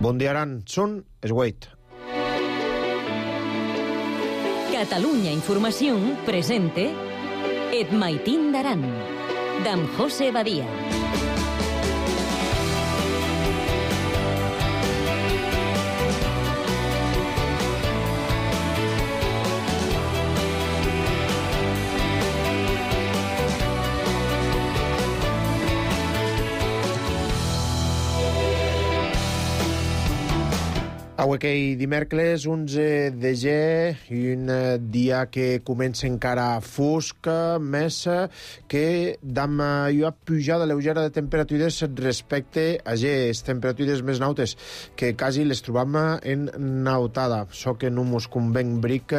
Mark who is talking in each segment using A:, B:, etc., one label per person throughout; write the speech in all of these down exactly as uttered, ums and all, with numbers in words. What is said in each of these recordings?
A: Bon dia, Aran. Són es huit.
B: Catalunya Informació presente Et Maitín d'Aran, d'en José Badia.
A: Avui que dimecres onze de gener, un dia que comença encara fosc, més que d'ama una pujada lleugera de temperatures respecte a les temperatures més nautes, que quasi les trobam en nautada. Això que no mos convenc bric,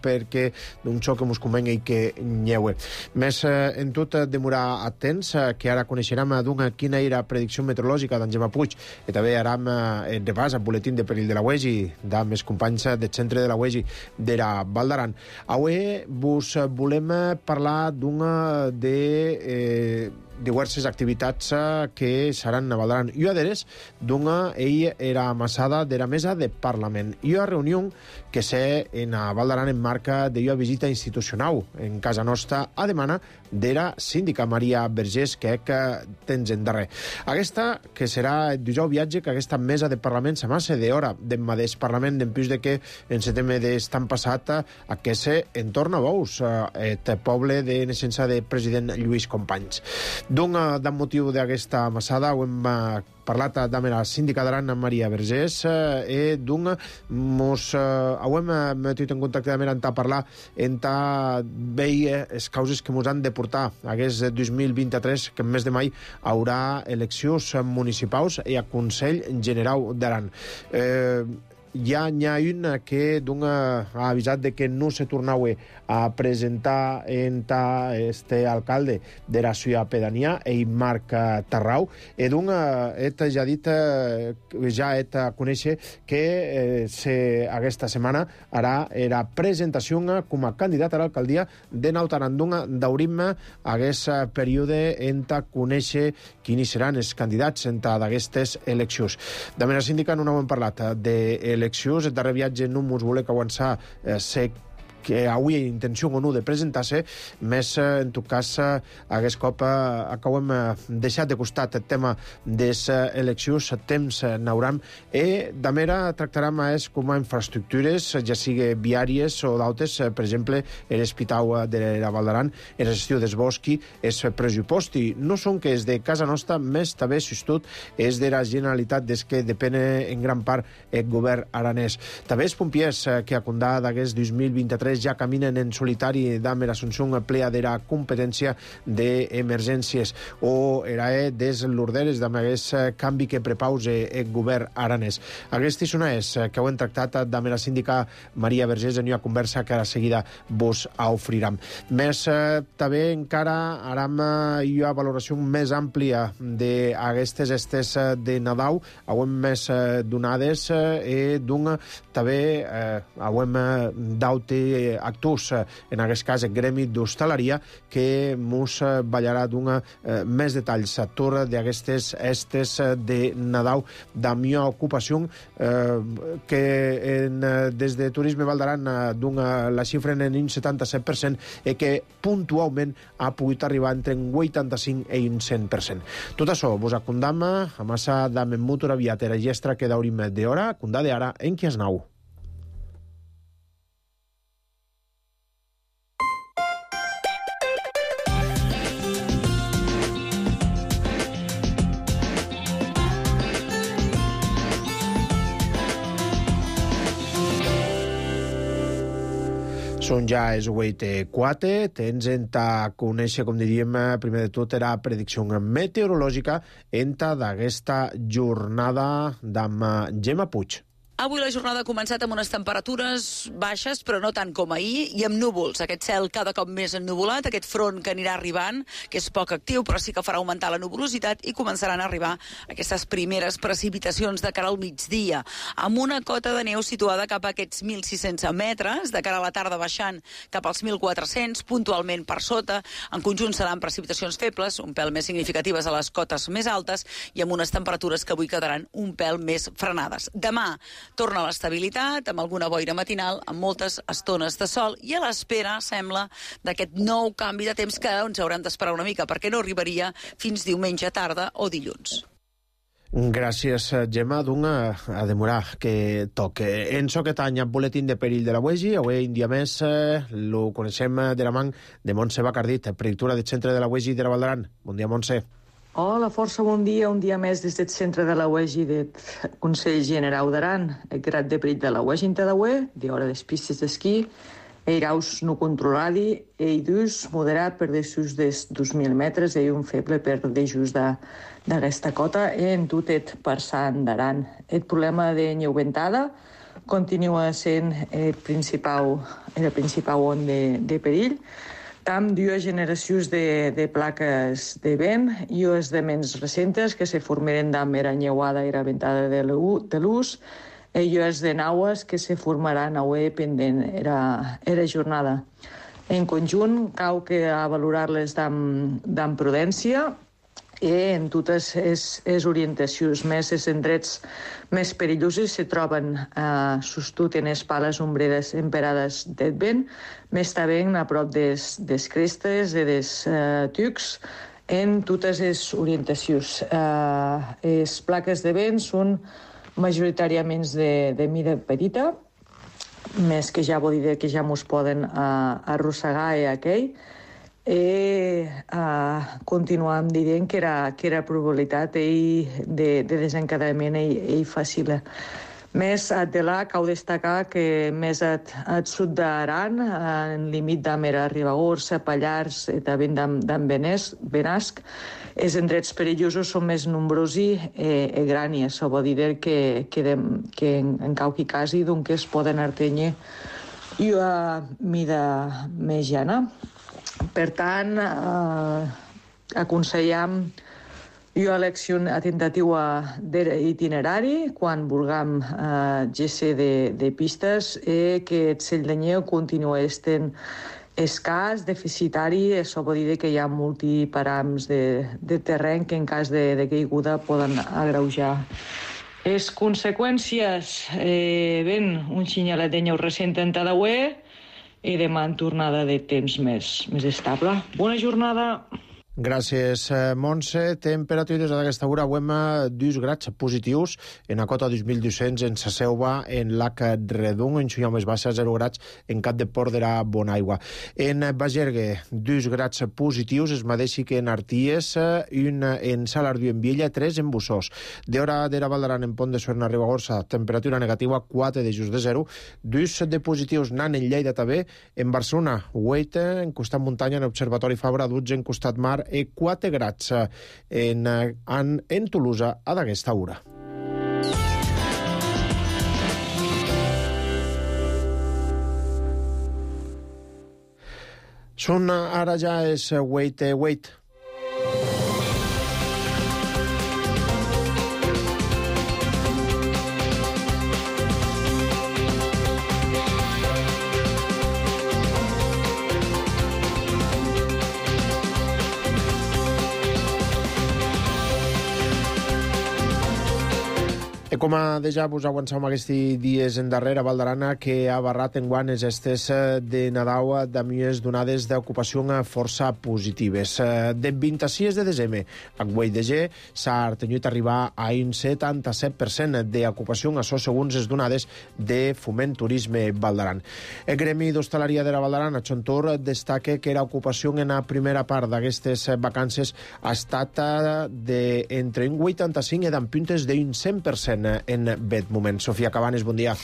A: perquè d'un xoc que mos convenc i que nyeue. Més en tot demorar atents, que ara coneixerem d'una quina era predicció meteorològica d'en Gemma Puig, i també aram el repàs al buletín de perill de la U E G I, de més companys del centre de la U E G I d'era Val d'Aran. Avui vos volem parlar d'una de eh, diverses activitats que seran a Val d'Aran. I a d'eres d'una ell era amassada de la mesa de Parlament. I una reunió que sé en a Val d'Aran en marca de una visita institucional en casa nostra a demana d'era síndica Maria Vergés, que que tens en darrer. Aquesta, que serà el dijous viatge, que aquesta mesa de Parlament s'amassa d'hora d'en mateix Parlament, en plus de que en setembre d'estan passat a que se entorna a Bous, el poble de naixença de president Lluís Companys. D'un d'un motiu d'aquesta amassada ho hem parlat amb la síndica d'Aran, Maria Vergés, i d'un mos ho hem metit en contacte amb ella a parlar en ta veia les causes que mos han de portar aquest dos mil vint-i-tres, que en mes de mai haurà eleccions municipals i a Consell General d'Aran. Eh, Hi ha, hi ha una que ha avisat de que no se tornava a presentar en ta este alcalde de la ciutat pedania, ell Marc Tarrau, i d'una et ja dit, ja et conèixer que eh, se, aquesta setmana harà la presentació com a candidat a l'alcaldia de Nautarandunga. Daurim aquest període en ta conèixer quins seran els candidats en ta d'aquestes eleccions. De manera síndica no n'hem parlat de eleccions. El darrer viatge no mos voler que avançar eh, sé que avui hi ha intenció o no de presentar-se, més en tot cas aquest cop acabem deixat de costat el tema de les eleccions, temps n'hauram, i de mera tractarem és com a infraestructures, ja sigui viàries o d'altres, per exemple, l'Hospital de la Val d'Aran, la gestió dels boscs, el pressupost, i no són que és de casa nostra, més també, si tot, és de la Generalitat, des que depèn en gran part el govern aranès. També els pompiers que a condà d'aquest dos mil vint-i-tres ja caminen en solitari d'Amer Assumpción plea de la competència d'emergències, o era des l'orderes d'aquest canvi que prepausa el govern aranès. Aquestes són les que ho hem tractat d'Amer la síndica Maria Vergés en una conversa que a la seguida vos ofriram. Més també encara haram una valoració més àmplia d'aquestes estes de Nadal, ho hem més donades, i d'un també ho hem d'aute actors, en aquest cas el gremi d'hostaleria, que mos ballarà d'una eh, més detalls a torn d'aquestes estes de Nadal d'amb una ocupació eh, que en, des de Turisme Val d'Aran d'una la xifra en un setanta-set per cent i que puntualment ha pogut arribar entre un vuitanta-cinc i un cent per cent. Tot això vos acondam a massa d'amb motor aviat era gestra que daurim d'hora, condade ara en qui es nau. Són ja els vuit i quatre, tens en ta conèixer, com diríem, primer de tot, era predicció meteorològica en ta d'aquesta jornada d'amb Gemma Puig.
C: Avui la jornada ha començat amb unes temperatures baixes, però no tant com ahir, i amb núvols. Aquest cel cada cop més ennuvolat, aquest front que anirà arribant, que és poc actiu, però sí que farà augmentar la nuvolositat i començaran a arribar aquestes primeres precipitacions de cara al migdia, amb una cota de neu situada cap a aquests mil sis-cents metres, de cara a la tarda baixant cap als mil quatre-cents, puntualment per sota. En conjunt seran precipitacions febles, un pèl més significatives a les cotes més altes i amb unes temperatures que avui quedaran un pèl més frenades. Demà torna l'estabilitat, amb alguna boira matinal, amb moltes estones de sol, i a l'espera, sembla, d'aquest nou canvi de temps que ens haurem d'esperar una mica, perquè no arribaria fins diumenge tarda o dilluns.
A: Gràcies, Gemma. D'un a demorar que toque. Enço aquest any, boletín de perill de la U E G I, avui un dia més, lo coneixem de la mà de Montse Bacardit, predictora del centre de la U E G I de la Val d'Aran. Bon dia, Montse.
D: Hola, força bon dia. Un dia més des del centre de la U E G I del Consell Generau d'Aran. El grad de perill de la U E G I en Tadaué, d'hora des pistes d'esquí, eiraus no controladi, ei dus moderat per desús des dos mil metres, ei un feble per desús d'aquesta cota, en tutet per Sant d'Aran. El problema de neu ventada continua sent el principal, el principal on de, de perill. Tam dues generacions de, de plaques de vent i les de menys recentes que se formaren amb era nyeuada i era ventada de l'ús, i les de naues que se formaran avui pendent era, era jornada. En conjunt, cal que a valorar-les amb prudència i en totes les orientacions més, els indrets més perillosos se troben eh, sostut en les pales ombreres emperades del vent, més també a prop des, des crestes i des eh, tucs, en totes les orientacions. Eh, les plaques de vent són majoritàriament de, de mida petita, més que ja vol dir que ja mos poden eh, arrossegar i aquell, i uh, continuam dient que era, que era probabilitat ell de, de desencadenament ell, ell fàcil. Més de là, cal destacar que més al sud d'Aran, en límit d'Amera, Ribagorça, Pallars i també d'en Benasc, els indrets perillosos són més nombrosos i, i grans. Això vol dir que, que, de, que en, en qualque cas doncs es poden artenyer i a mida més llana. Per tant, eh, aconsellem jo elecció a tentativa d'itinerari quan vulguem eh, gc de, de pistes i que el cell de neu continua estent escàs, deficitari. Això vol dir que hi ha multiparams de, de terreny que en cas de, de caiguda poden agreujar. Les conseqüències, eh, ben, un xinyalet de neu recent en Tadaué, i demà en tornada de temps més, més estable. Bona jornada.
A: Gràcies, Montse. Temperatures d'aquesta hora avui amb dos grads positius en la cota dos mil dos-cents en Saseuva, en Lac Redung, en Xunyà més baixa, zero grads en Cap de Port de la Bonaigua. En Bagergue, dos grads positius, es mateix que en Arties, un en Salardiu en Viella, tres en Bussós. D'hora de la Val d'Aran en Pont de Suert, Ribagorça, temperatura negativa, quatre de just de zero, dos de positius nan en Lleida també, en Barcelona, vuit en costat muntanya, en Observatori Fabra, dotze en costat mar, i quatre grads en, en, en Tolosa a d'aquesta hora. Són ara ja és wait, wait. I com a deja vos avançam aquests dies endarrere a Val d'Aran, que ha barrat enguany les estes de Nadal amb unes donades d'ocupació força positives. De vint-i-sis de desembre a Güell de G s'ha tenyut arribar a un setanta-set per cent d'ocupació, això segons les donades de Foment Turisme Val d'Aran. El Gremi d'Hostaleria de la Val d'Aran, a Xontor, destaca que l'ocupació en la primera part d'aquestes vacances ha estat de entre un vuitanta-cinc i d'en puntes d'un cent per cent. en, en bet moment. Sofia Cabanes, bon dia.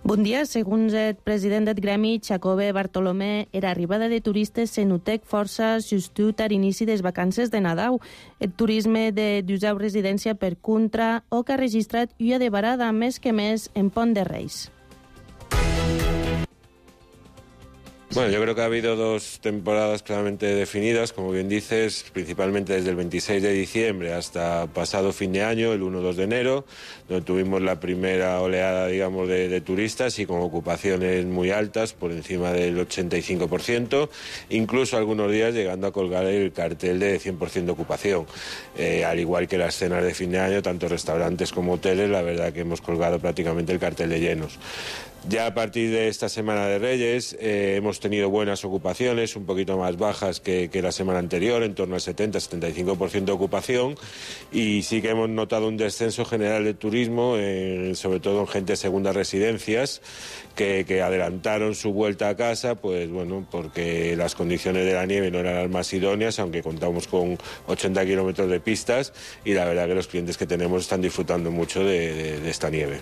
E: Bon dia. Segons el president del gremi, Xacobe Bartolomé, era arribada de turistes se notec força justut a l'inici des vacances de Nadal. El turisme de d'usau residència per contra o que ha registrat una de varada més que més en Pont de Reis.
F: Bueno, yo creo que ha habido dos temporadas claramente definidas, como bien dices, principalmente desde el veintiséis de diciembre hasta pasado fin de año, el uno dos de enero, donde tuvimos la primera oleada, digamos, de, de turistas y con ocupaciones muy altas, por encima del ochenta y cinco por ciento, incluso algunos días llegando a colgar el cartel de cien por ciento de ocupación. Eh, al igual que las cenas de fin de año, tanto restaurantes como hoteles, la verdad que hemos colgado prácticamente el cartel de llenos. Ya a partir de esta Semana de Reyes eh, hemos tenido buenas ocupaciones, un poquito más bajas que, que la semana anterior, en torno al setenta a setenta y cinco por ciento de ocupación, y sí que hemos notado un descenso general de turismo, eh, sobre todo en gente de segundas residencias, que, que adelantaron su vuelta a casa, pues bueno, porque las condiciones de la nieve no eran las más idóneas, aunque contamos con ochenta kilómetros de pistas, y la verdad que los clientes que tenemos están disfrutando mucho de, de, de esta nieve.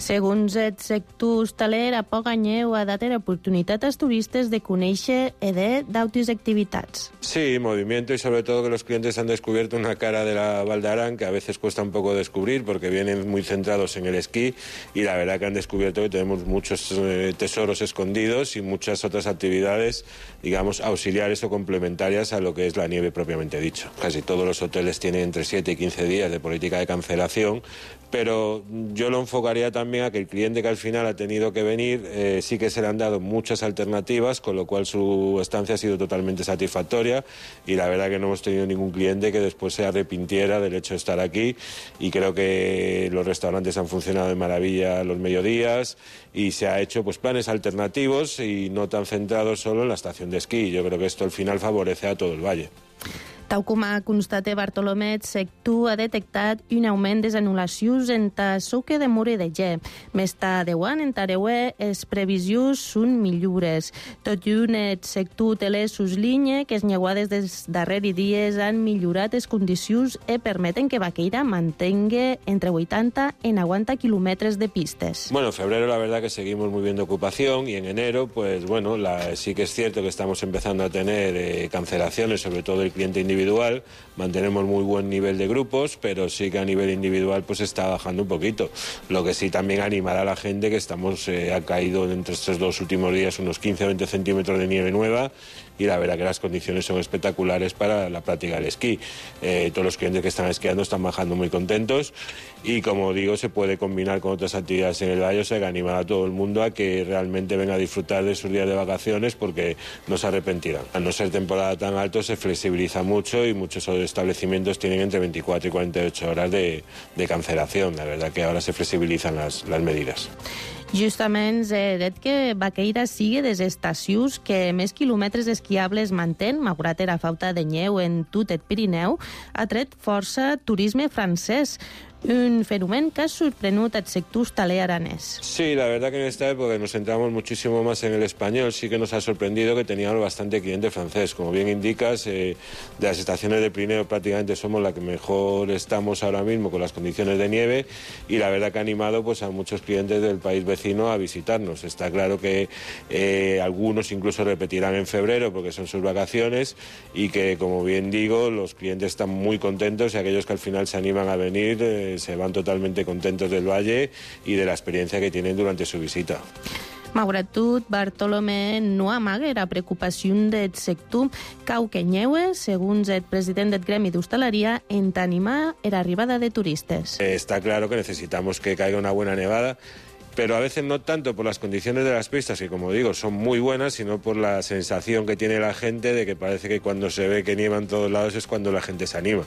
E: Segons el sector hostaler, a poc anyeu ha dat l'oportunitat als turistes de conèixer i d'altres activitats.
F: Sí, movimiento y sobre todo que los clientes han descubierto una cara de la Val d'Aran que a veces cuesta un poco descubrir porque vienen muy centrados en el esquí, y la verdad que han descubierto que tenemos muchos eh, tesoros escondidos y muchas otras actividades, digamos, auxiliares o complementarias a lo que es la nieve propiamente dicho. Casi todos los hoteles tienen entre siete y quince días de política de cancelación, pero yo lo enfocaría también a que el cliente que al final ha tenido que venir eh, sí que se le han dado muchas alternativas, con lo cual su estancia ha sido totalmente satisfactoria, y la verdad que no hemos tenido ningún cliente que después se arrepintiera del hecho de estar aquí, y creo que los restaurantes han funcionado de maravilla los mediodías y se ha hecho pues planes alternativos y no tan centrados solo en la estación de esquí. Yo creo que esto al final favorece a todo el valle.
E: Tal com ha constatat Bartolomé, el sector ha detectat un augment de les anul·lacions en el soque de Mura de Gè. Més tard de l'any, en Tareuer, les previsions són millores. Tot i un, el sector hoteler suslinya que les neguades dels darrers dies han millorat les condicions i permeten que Baqueira mantenga entre vuitanta i noventa quilòmetres de pistes.
F: Bueno, en febrero la verdad que seguimos muy bien de ocupación, y en enero, pues bueno, la, sí que es cierto que estamos empezando a tener eh, cancelaciones, sobre todo el cliente individual. individual, mantenemos muy buen nivel de grupos, pero sí que a nivel individual pues está bajando un poquito. Lo que sí también animará a la gente que estamos, eh, ha caído entre estos dos últimos días unos quince a veinte centímetros de nieve nueva, y la verdad que las condiciones son espectaculares para la práctica del esquí. Eh, todos los clientes que están esquiando están bajando muy contentos, y como digo, se puede combinar con otras actividades en el valle, o sea que animar a todo el mundo a que realmente venga a disfrutar de sus días de vacaciones, porque no se arrepentirán. Al no ser temporada tan alto se flexibiliza mucho, y muchos establecimientos tienen entre veinticuatro y cuarenta y ocho horas de, de cancelación. La verdad que ahora se flexibilizan las, las medidas.
E: Justament he dit que Baqueira sigui des estacions que més quilòmetres esquiables mantén, malgrat la falta de neu en tot el Pirineu, ha tret força turisme francès. Un fenómeno que ha sorprendido al sector hostaler aranés.
F: Sí, la verdad que en esta época nos centramos muchísimo más en el español. Sí que nos ha sorprendido que teníamos bastante cliente francés. Como bien indicas, eh, de las estaciones de Pirineo prácticamente somos la que mejor estamos ahora mismo con las condiciones de nieve, y la verdad que ha animado pues, a muchos clientes del país vecino a visitarnos. Está claro que eh, algunos incluso repetirán en febrero porque son sus vacaciones, y que, como bien digo, los clientes están muy contentos, y aquellos que al final se animan a venir eh, se van totalmente contentos del valle y de la experiencia que tienen durante su visita.
E: Malgrat tot, Bartolomé no amaga la preocupació del sector, cau que nyeue, segons el president del gremi d'hostaleria, en animar l'arribada de turistes.
F: Está claro que necesitamos que caiga una buena nevada, pero a veces no tanto por las condiciones de las pistas, que como digo son muy buenas, sino por la sensación que tiene la gente de que parece que cuando se ve que nieva en todos lados es cuando la gente se anima.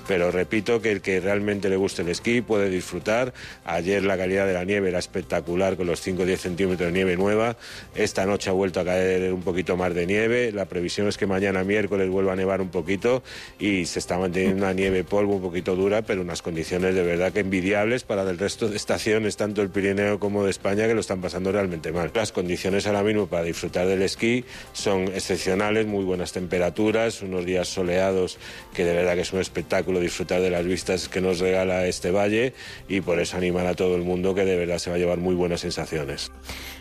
F: Pero repito que el que realmente le guste el esquí puede disfrutar. Ayer la calidad de la nieve era espectacular, con los cinco o diez centímetros de nieve nueva. Esta noche ha vuelto a caer un poquito más de nieve. La previsión es que mañana miércoles vuelva a nevar un poquito, y se está manteniendo una nieve polvo un poquito dura, pero unas condiciones de verdad que envidiables para el resto de estaciones, tanto el Pirineo como tramo de España que lo están pasando realmente mal. Las condiciones ahora mismo para disfrutar del esquí son excepcionales, muy buenas temperaturas, unos días soleados que de verdad que es un espectáculo disfrutar de las vistas que nos regala este valle, y por eso animar a todo el mundo que de verdad se va a llevar muy buenas sensaciones.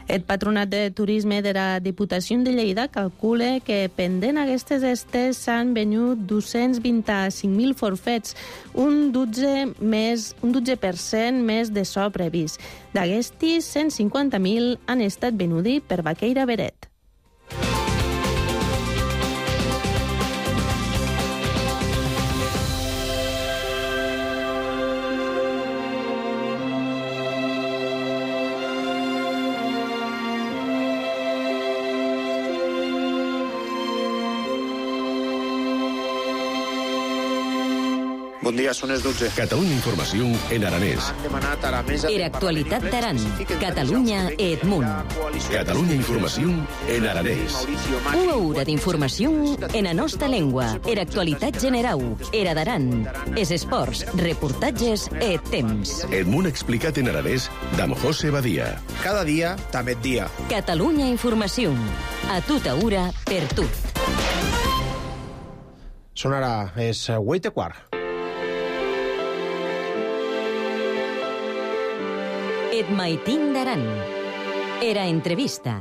E: El Patronat de Turisme de la Diputació de Lleida calcula que pendent aquestes estes s'han venut dos-cents vint-i-cinc mil forfets, un dotze més, un dotze per cent més de so previst. D'aquestes, cent cinquanta mil han estat venuts per Baqueira Beret.
A: Bon dia, són les dotze.
G: Catalunya Informació en aranès.
A: Han demanat a la mesa...
B: Era actualitat d'Aran. Catalunya Edmunt.
G: Catalunya Informació en aranès.
B: Una hora d'informació en la nostra llengua. Era actualitat general. Era d'Aran. És esports, reportatges e temps.
G: Edmunt explicat en aranès d'Am José Badia.
A: Cada dia, també dia.
B: Catalunya Informació. A tota hora, per tu.
A: Són ara, és vuit i quart.
B: Et maitin d'Aran. Era entrevista.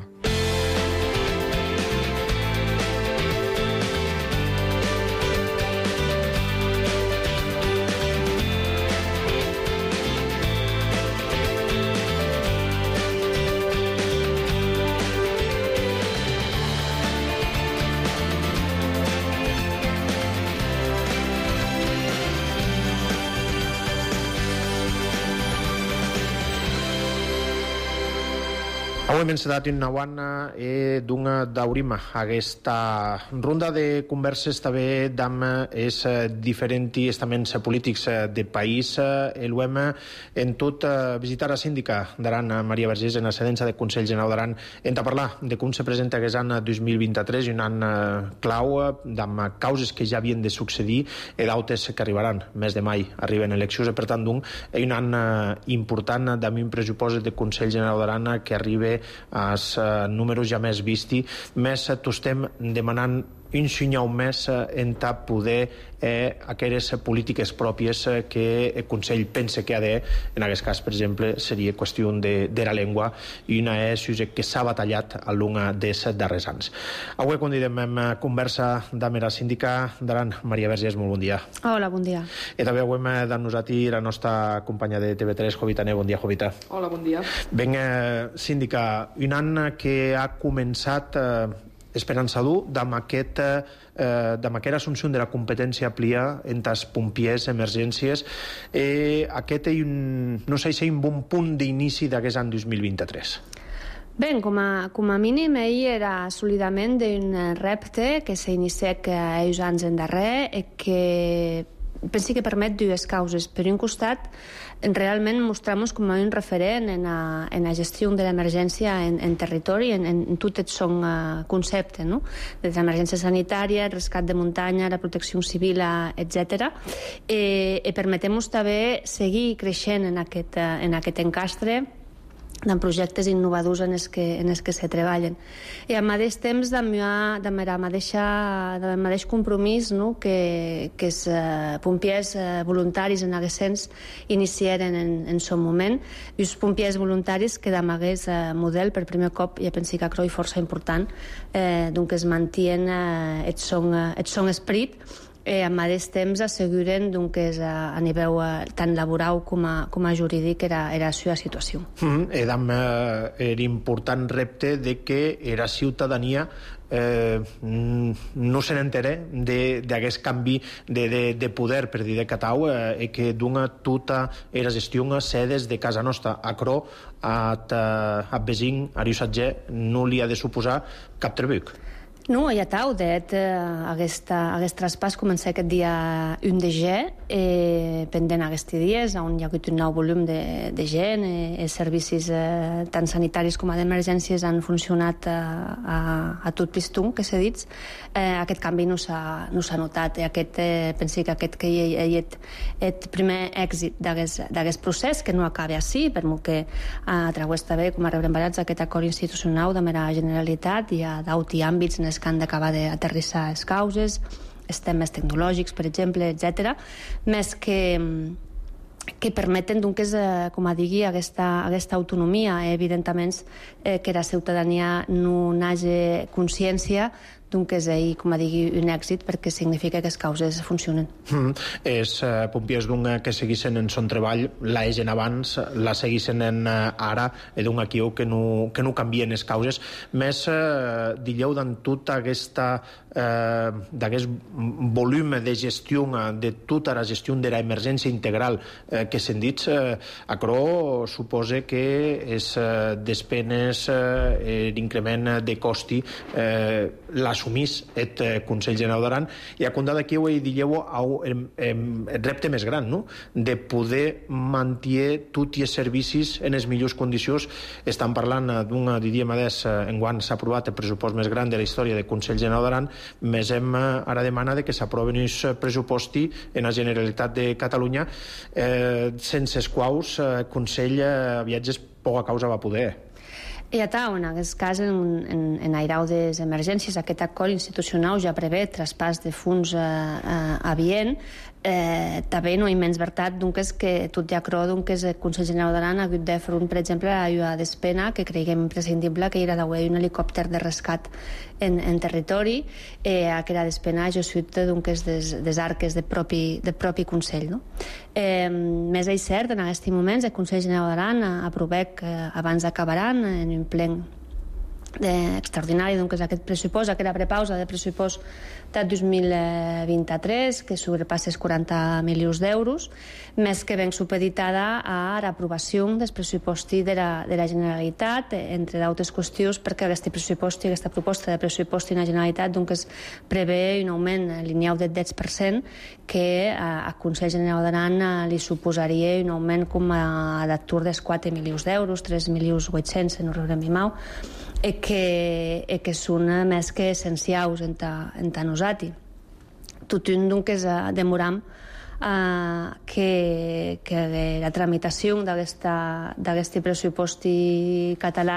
A: Avui hem encetat una bona e d'una d'aurima. Aquesta ronda de converses també d'am és diferents estaments polítics de país. El hem en tot visitar a síndica d'Aran, Maria Vergés, en la sedència del Consell General d'Aran, en a parlar de com se presenta aquest any dos mil vint-i-tres, un any clau d'am causes que ja havien de succeir i d'altres que arribaran. Mes de mai arriben eleccions, per tant, d'un, un any important d'am un pressupost del Consell General d'Aran que arriba als uh, números ja més visti, més uh, t'estem demanant un senyal més uh, en ta poder eh, aquelles polítiques pròpies uh, que el Consell pensa que ha de, en aquest cas, per exemple, seria qüestió de, de la llengua, i una és que s'ha batallat a l'una dels darrers anys. Avui convidem a conversa amb la síndica d'Aran, Maria Vergés, molt bon dia.
H: Hola, bon dia.
A: I també avui amb nosaltres la nostra companya de T V tres, Jovita Ne. Bon dia, Jovita.
H: Hola, bon dia.
A: Ben, eh, síndica, un any que ha començat eh, esperançador amb aquest eh, amb aquesta assumpció de la competència amplia entre els pompiers, emergències. Eh, aquest és un, no sé si és un bon punt d'inici d'aquest any dos mil vint-i-tres.
H: Bé, com a, com a mínim, ell era assolidament d'un repte que s'ha iniciat uns anys endarrere i que penso que permet dues causes. Per un costat, realment mostrar-nos com un referent en la, en la gestió de l'emergència en, en territori, en, en tot el son uh, concepte, no? Des l'emergència sanitària, el rescat de muntanya, la protecció civil, etcètera. I, i permetem-nos també seguir creixent en aquest, uh, en aquest encastre de projectes innovadors en els que, en els que se treballen. I al mateix temps, de la mateixa, del mateix compromís, no? que, que els eh, pompiers eh, voluntaris en aquest sens iniciaren en, en son moment, i els pompiers voluntaris que d'amagués eh, model per primer cop, ja penso que croi força important, eh, doncs es mantien eh, el, son, eh, el son esperit, i al mateix temps asseguren que és a, a nivell tant laboral com a, com a jurídic era, era la seva situació.
A: Mm, edam eh, important repte de que era ciutadania eh, no se n'entere d'aquest canvi de, de, de poder, per dir de Catau, eh, que d'una tota era gestió sedes de casa nostra. A Cro, a, a Besing, a Riusatger, no li ha de suposar cap trebuc.
H: No, ja tau, det aquesta, aquest traspàs comença aquest dia un de gener, eh, pendent aquests dies, on hi ha hagut un nou volum de, de gent, eh, els servicis eh, tant sanitaris com d'emergències han funcionat a, a, a tot pistó, que s'ha dit. Eh, aquest canvi no s'ha no s'ha notat. I aquest, eh, penso que aquest que hi ha el primer èxit d'aquest procés, que no acaba així, per molt que a través també, com a rebrembarats, aquest acord institucional de la Generalitat, hi ha d'auti àmbits en que han d'acabar d'aterrissar les causes, els temes tecnològics, per exemple, etcètera, més que que permeten, doncs, eh, com a digui, aquesta, aquesta autonomia. Eh, evidentment, eh, que la ciutadania no n'hagi consciència doncs és ahir, com a digui, un èxit perquè significa que les causes funcionen.
A: Mm. Els eh, pompiers d'un que seguissin en son treball, la egen abans, la seguissin en eh, ara, i d'un aquí que no, que no canvien les causes. Més, eh, digueu, d'en tota aquesta eh, d'aquest volum de gestió, de tota la gestió de l'emergència integral eh, que s'han dit, eh, acrò suposa que és eh, despenes, eh, l'increment de costi, eh, la assumís el Consell General d'Aran, i a compte d'aquí ho dieu el, el repte més gran, no? De poder mantenir tots els servicis en les millors condicions. Estan parlant d'un, diríem, enguany s'ha aprovat el pressupost més gran de la història del Consell General d'Aran, més hem ara demana de que s'aproven els pressuposti en la Generalitat de Catalunya, eh, sense els quals el Consell a viatges poca causa va poder.
H: I a tal, en aquest cas, en, en, en airau de les emergències, aquest acord institucional ja prevé traspàs de fons eh, eh, avient. Eh, també no hi menys veritat, doncs, que tot ja creu que el Consell General d'Aran ha hagut de fer, per exemple, a la despena, que creiem imprescindible, que era d'haver un helicòpter de rescat en, en territori, eh, que era despena jo sud doncs, des, des arques del propi, de propi Consell. No? Eh, més és cert, en aquests moments, el Consell General d'Aran aprovec eh, abans d'acabaran en un plen extraordinari, doncs, aquest pressupost, aquesta prepausa de pressupost de dos mil vint-i-tres, que sobrepassa els quaranta milions d'euros, més que ben supeditada a l'aprovació del pressupost de la, de la Generalitat, entre d'altres qüestions, perquè aquest pressupost, aquesta proposta de pressupost de la Generalitat doncs, prevé un augment lineal del deu per cent que al Consell General d'Aran li suposaria un augment com a d'atur dels quatre milions d'euros, tres milions vuit-cents, no rebrem i mau, i que, i que són més que essencials en ta, en ta nosaltres. Tot un doncs demoram uh, que, que la tramitació d'aquest pressupost català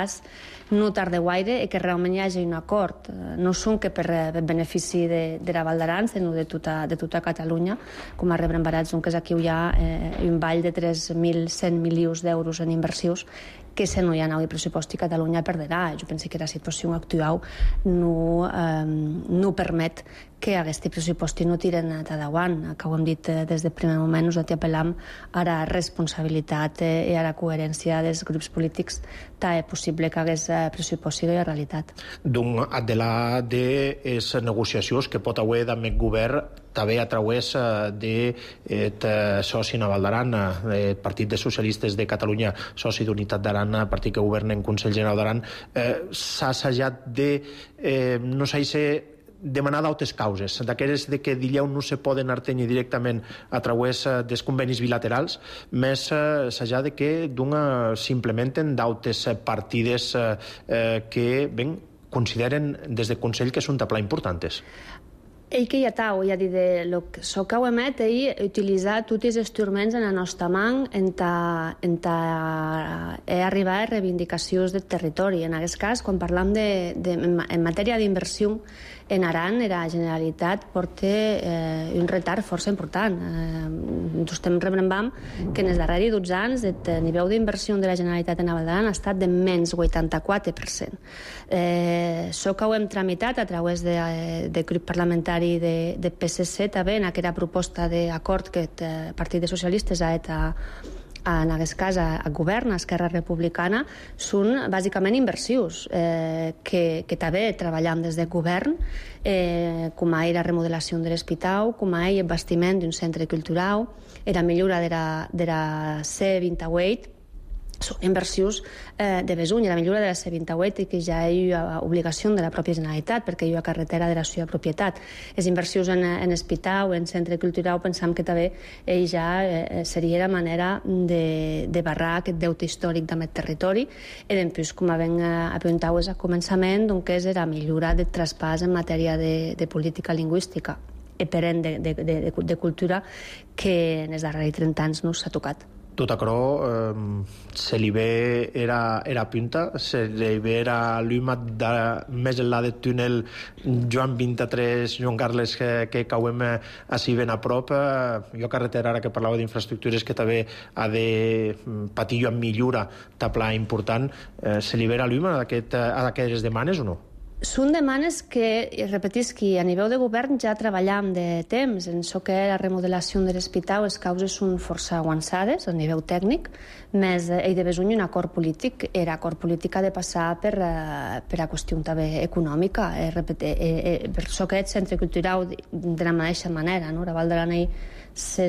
H: no tarda gaire i que realment hi hagi un acord. No són que per benefici de, de la Val d'Aran, sinó de tota, de tota Catalunya, com a rebrembarats, que aquí hi ha eh, un ball de tres mil cent milions d'euros en inversions que si no hi ha nou pressupost i Catalunya perdrà. Jo penso que la situació actual no, eh, no permet que aquest pressupost no tiren endavant. Que ho hem dit des del primer moment, nosaltres apel·lam a la responsabilitat i a la coherència dels grups polítics tant és possible que aquest pressupost sigui realitat.
A: Donc, de la de les negociacions que pot haver amb el govern també a través de soci Naval d'Aran, el Partit de Socialistes de Catalunya, soci d'Unitat d'Aran, partit que governa en Consell General d'Aran, eh, s'ha assajat de eh, no sé si demanar d'altres causes, d'aquelles de que dilleu no se poden artenir directament a través dels convenis bilaterals, més eh, s'ha de que d'una s'implementen d'altres partides eh, que ben, consideren des del Consell que són de pla importants.
H: Ell que ja tau, ja dir, el que so que ho emet, ell utilitzar tots els instruments en la nostra mà en ta, en ta eh, arribar a reivindicacions del territori. En aquest cas, quan parlam de, de, en matèria d'inversió en Aran, la Generalitat porta eh, un retard força important. Eh, estem rebrembant que en els darrers dotze anys el nivell d'inversió de la Generalitat en Naval d'Aran ha estat de menys vuitanta-quatre per cent. Eh, això que ho hem tramitat a través de, de grup parlamentari de, de P S C també en aquesta proposta d'acord que el Partit de Socialistes ha fet a en aquest cas a, a govern, a Esquerra Republicana, són bàsicament inversions eh, que, que també treballem des del govern, eh, com a la remodelació de l'hospital, com a el bastiment d'un centre cultural, la millora de la, de la C vint-i-vuit, són inversions eh, de Besuny, la millora de la C vint-i-vuit, que ja hi ha obligació de la pròpia Generalitat, perquè hi ha carretera de la seva propietat. Les inversions en, en Espitau, en Centre Cultural, pensam que també eh, ja eh, seria la manera de, de barrar aquest deute històric d'aquest territori, i després, com ben apuntau a començament, doncs és la millora del traspàs en matèria de, de política lingüística i perent de, de, de, de cultura que en els darrers trenta anys no s'ha tocat.
A: Tot aquerò eh, se li ve era, era punta, se li ve era l'huma de més enllà del túnel Joan vint-i-tres, Joan Carles, que, que cauem així ben a prop. Eh, jo carretera, ara que parlava d'infraestructures, que també ha de patir amb millora tapla important, eh, se li ve era l'huma d'aquestes demanes o no?
H: Són demanes que, repetisc, a nivell de govern ja treballem de temps. En això que la remodelació de l'Espitau, les causes són força avançades a nivell tècnic, més ell de Besuny un acord polític. Era acord polític ha de passar per, per a qüestió també econòmica. Eh, repetir, eh, eh, per això que el Centre Cultural de la mateixa manera, no? La Val d'Aran és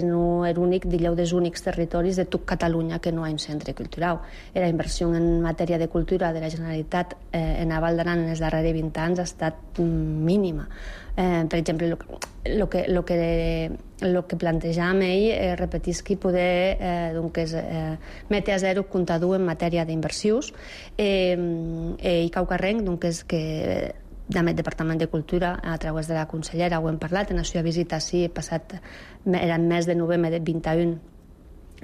H: l'únic, digueu, dels únics territoris de tot Catalunya que no hi ha un centre cultural. La inversió en matèria de cultura de la Generalitat eh, en la Val d'Aran en els darrers vint anys ha estat mínima. Eh, per exemple, el que, lo que, lo que plantejàvem ell, eh, repetisc, poder eh, doncs, eh, metre a zero comptador en matèria d'inversions. Eh, ell caucarrenc, doncs, que del Departament de Cultura, a través de la consellera, ho hem parlat, en la seva visita sí, passat, era el mes de novembre del vint-i-un,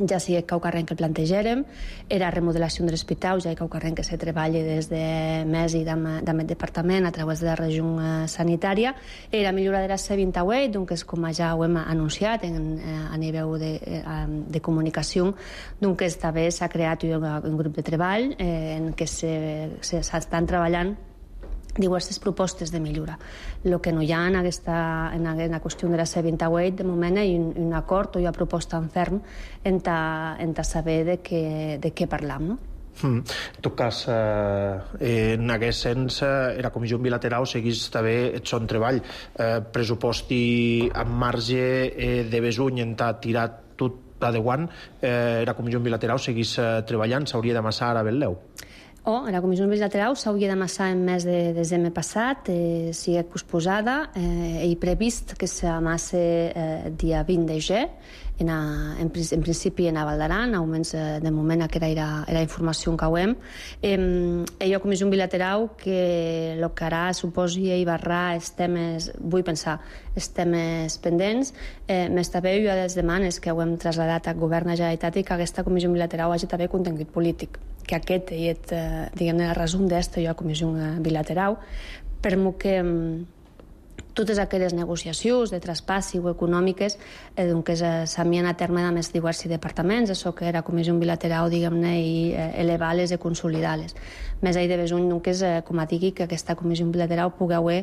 H: ja sí que caucarrenc que el plantegèrem, era remodelació de l'Espitau, ja que caucarrenc que se treballa des de mes i d'aquest departament a través de la regió sanitària, era millora de la C vint-i-vuit, doncs com ja ho hem anunciat en, a nivell de, de comunicació, doncs també s'ha creat un, un grup de treball eh, en què s'estan treballant diverses propostes de millora. El que no hi ha en aquesta en la qüestió de la C vint-i-vuit, de moment hi ha un, un acord o hi ha proposta en ferm en ta, en ta saber de què, de què parlam, no?
A: Mm. En tot cas, eh, en aquest sens, eh, la comissió bilateral seguís també el son treball. Eh, pressuposti en marge eh, de Besuny en ta tirat tot adeuant, eh, la comissió bilateral seguís eh, treballant, s'hauria d'amassar ara Betleu.
H: Oh, la comissió bilateral s'hauria d'amassar en mes de desembre passat, eh, sigui posposada, eh, i previst que s'amasse eh, dia vint de gener, en, a, en, en principi en a Val d'Aran, almenys eh, de moment que era la informació que hem. Eh, hi ha comissió bilateral que el que harà suposi i barrar els temes, vull pensar, els temes pendents, eh, més també hi ha les demanes que ho hem traslladat al govern de la Generalitat i que aquesta comissió bilateral hagi també contingut polític, que aquest és, eh, diguem-ne, el resum d'esta jo comissió bilateral, per mo que totes aquelles negociacions de traspàs o econòmiques eh, doncs, eh, s'havien a terme de més diversos departaments, això que era comissió bilateral, diguem-ne, i eh, elevar-les i consolidar-les. Més allà de Besuny, doncs, eh, com a digui, que aquesta comissió bilateral pugui haver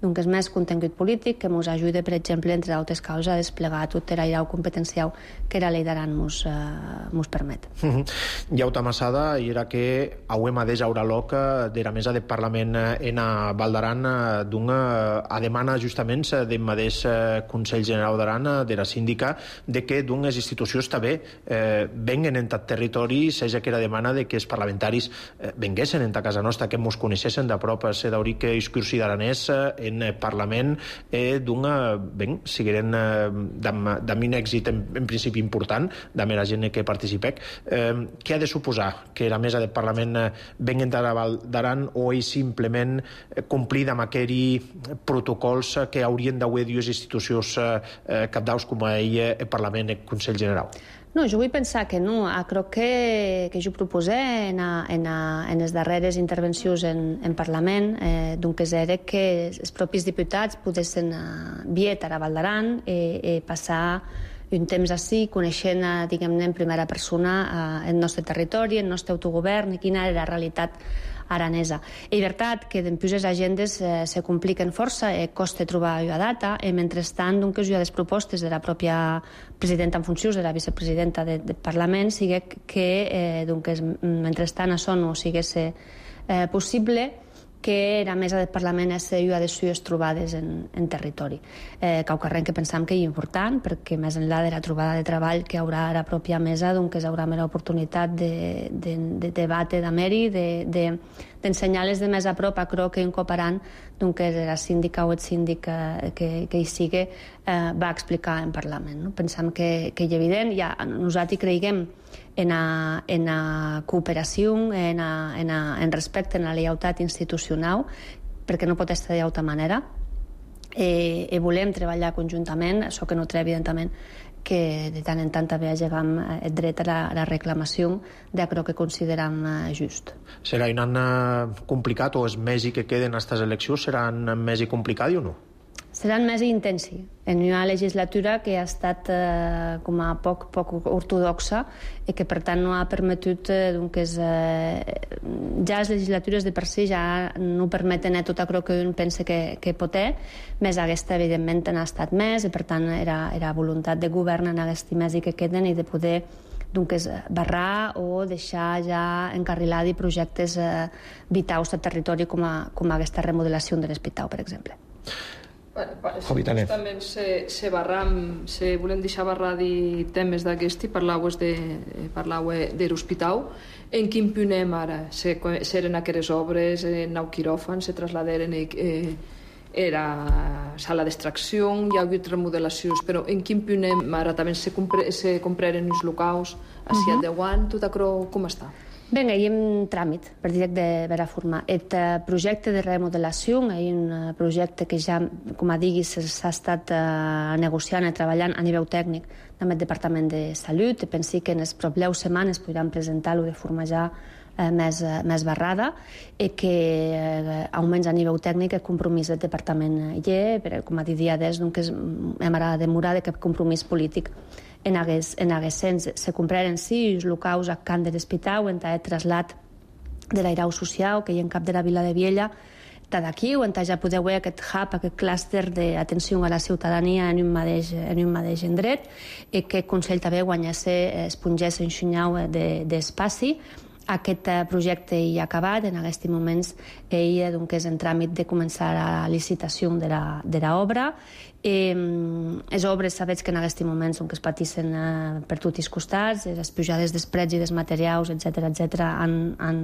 H: doncs, més contingut polític que ens ajudi, per exemple, entre altres causes, a desplegar tot el grau competencial que la llei d'Aran ens eh, permet.
A: Mm -hmm. Ja ho t'amassada, i era que hauem adés a Uraloc de la mesa del Parlament en a Val d'Aran d'una a demana justament del mateix Consell General d'Aran, de la síndica, de que les institucions també eh, venguen en tot territori, seja que era demana de que els parlamentaris eh, venguessin en ta casa nostra, que ens coneixessin de prop, se d'hauria que el cursi d'aranès en el Parlament eh, d'una, ben, sigueren eh, d'un èxit en, en principi important, de la gent que participec. Eh, què ha de suposar? Que la mesa del Parlament eh, venguen de la Val d'Aran o és simplement eh, complir amb aquells protocols que haurien d'haver dues institucions eh, capdaus com ell, el Parlament i el Consell General?
H: No, jo vull pensar que no. Crec que, que jo proposé en, a, en, a, en les darreres intervencions en, en Parlament, eh, doncs era que els propis diputats poguessin uh, vietar a Val d'Aran i, i passar un temps així, coneixent, diguem-ne, en primera persona uh, el nostre territori, el nostre autogovern i quina era la realitat aranesa. És veritat que després les agendes eh, se compliquen força, eh, costa trobar la data, i mentrestant doncs, hi ha les propostes de la pròpia presidenta en funcions, de la vicepresidenta del de Parlament, sigui que eh, doncs, mentrestant això no sigués eh, possible, que era mesa del Parlament és una de les sues trobades en, en territori. Eh, Caucarren que pensam que és important, perquè més enllà de la trobada de treball que haurà a la pròpia mesa, doncs haurà més oportunitat de, de, de debate d'ameri, de, de, d'ensenyar-les de més a prop, a crec que incoparant doncs la síndica o el síndic que, que, que hi sigui eh, va explicar en Parlament. No? Pensam que, que és evident, ja, nosaltres creiem en a, en a cooperació, en, a, en, a, en respecte, en la lleialtat institucional, perquè no pot estar d'altra manera. Eh, i volem treballar conjuntament, això que no treu, evidentment, que de tant en tant també llegam el dret a la, a la reclamació d'allò que consideram just.
A: Serà un any complicat, o els mesos que queden a aquestes eleccions seran més i complicat o no?
H: Seran més intensi en una legislatura que ha estat eh, com a poc, poc ortodoxa i que per tant no ha permetut eh, doncs, eh, ja les legislatures de per si ja no permeten eh, tot allò que un pensa que, que pot ser, més aquesta evidentment n'ha estat més i per tant era, era voluntat de govern en aquests mesos que queden i de poder doncs, barrar o deixar ja encarrilats projectes eh, vitals del territori com, a, com a aquesta remodelació de l'hospital, per exemple.
I: Justament se, se, barram, se volem deixar barrar de temes d'aquest i parlaues de, parlaues de l'hospital. En quin punt anem ara? Se, seren aquelles obres, en nou quiròfan, se trasladeren eh, era sala d'extracció, hi ha hagut remodelacions, però en quin punt anem ara? També se, compre, se compraren els locals a Ciat de Guant, tot això com està?
H: Bé, hi ha un tràmit per directe de vera forma. El projecte de remodelació és un projecte que ja, com a diguis, s'ha estat uh, negociant i treballant a nivell tècnic amb el Departament de Salut. Pensi que en les properes setmanes podran presentar-lo de forma ja uh, més, uh, més barrada i que, uh, almenys a nivell tècnic, el compromís del Departament hi és, però, com a dit dia des, doncs, hem ara de demorar de cap compromís polític en aquest sens. Se compraren sí els locals a Can de l'Hospital en el trasllat de l'airau social que hi ha en cap de la Vila de Viella d'aquí, on ja podeu veure aquest hub, aquest clúster d'atenció a la ciutadania en un mateix, en un mateix endret, i que el Consell també guanyés, espongés en xunyau d'espaci. Aquest projecte hi ha acabat, en aquests moments ell doncs, és en tràmit de començar la licitació de l'obra. Eh, les obres, sabeu que en aquests moments doncs, es patissen eh, per tots els costats, les pujades dels prets i dels materials, etcètera, etcètera, han, han,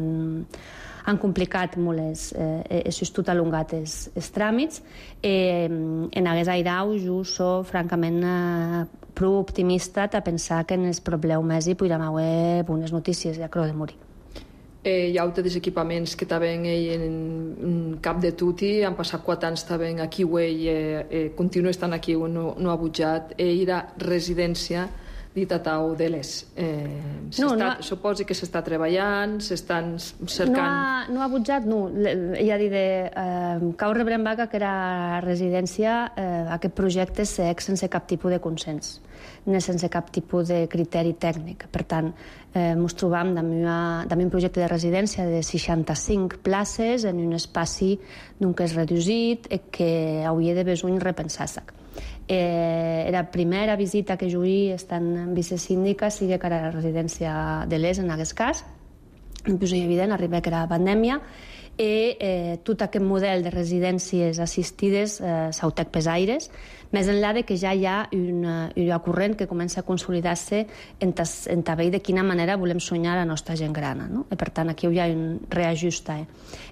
H: han complicat molt els, eh, els tot allongat els, els tràmits. Eh, en aquest airau jo soc francament eh, prou optimista a pensar que en els propeus mesos podrem haver bones notícies, ja creu de morir.
I: Eh, hi ha altres equipaments que també en, en cap de tuti, han passat quatre anys també aquí, eh, eh, continua estant aquí, no, no ha butjat, eh, era residència ditatau de les. Eh, no, no ha... Suposi que s'està treballant, s'estan cercant...
H: No ha, no ha butjat, no. Ja dir de eh, Cau Rebrembaca, que era residència, eh, aquest projecte s'eix sense cap tipus de consens, ni sense cap tipus de criteri tècnic. Per tant, eh, ens trobam amb un projecte de residència de seixanta-cinc places en un espai que és reduït i que hauria de besoin repensar-se. Eh, era la primera visita que jo hi estant vicesíndica sigui que era la residència de l'Es en aquest cas. Em posa evident, arriba que era la pandèmia i eh, tot aquest model de residències assistides eh, s'autec pesaires, més enllà de que ja hi ha una, una corrent que comença a consolidar-se en, tas, en també de quina manera volem soñar la nostra gent gran. No? I per tant, aquí hi ha un reajust. Eh.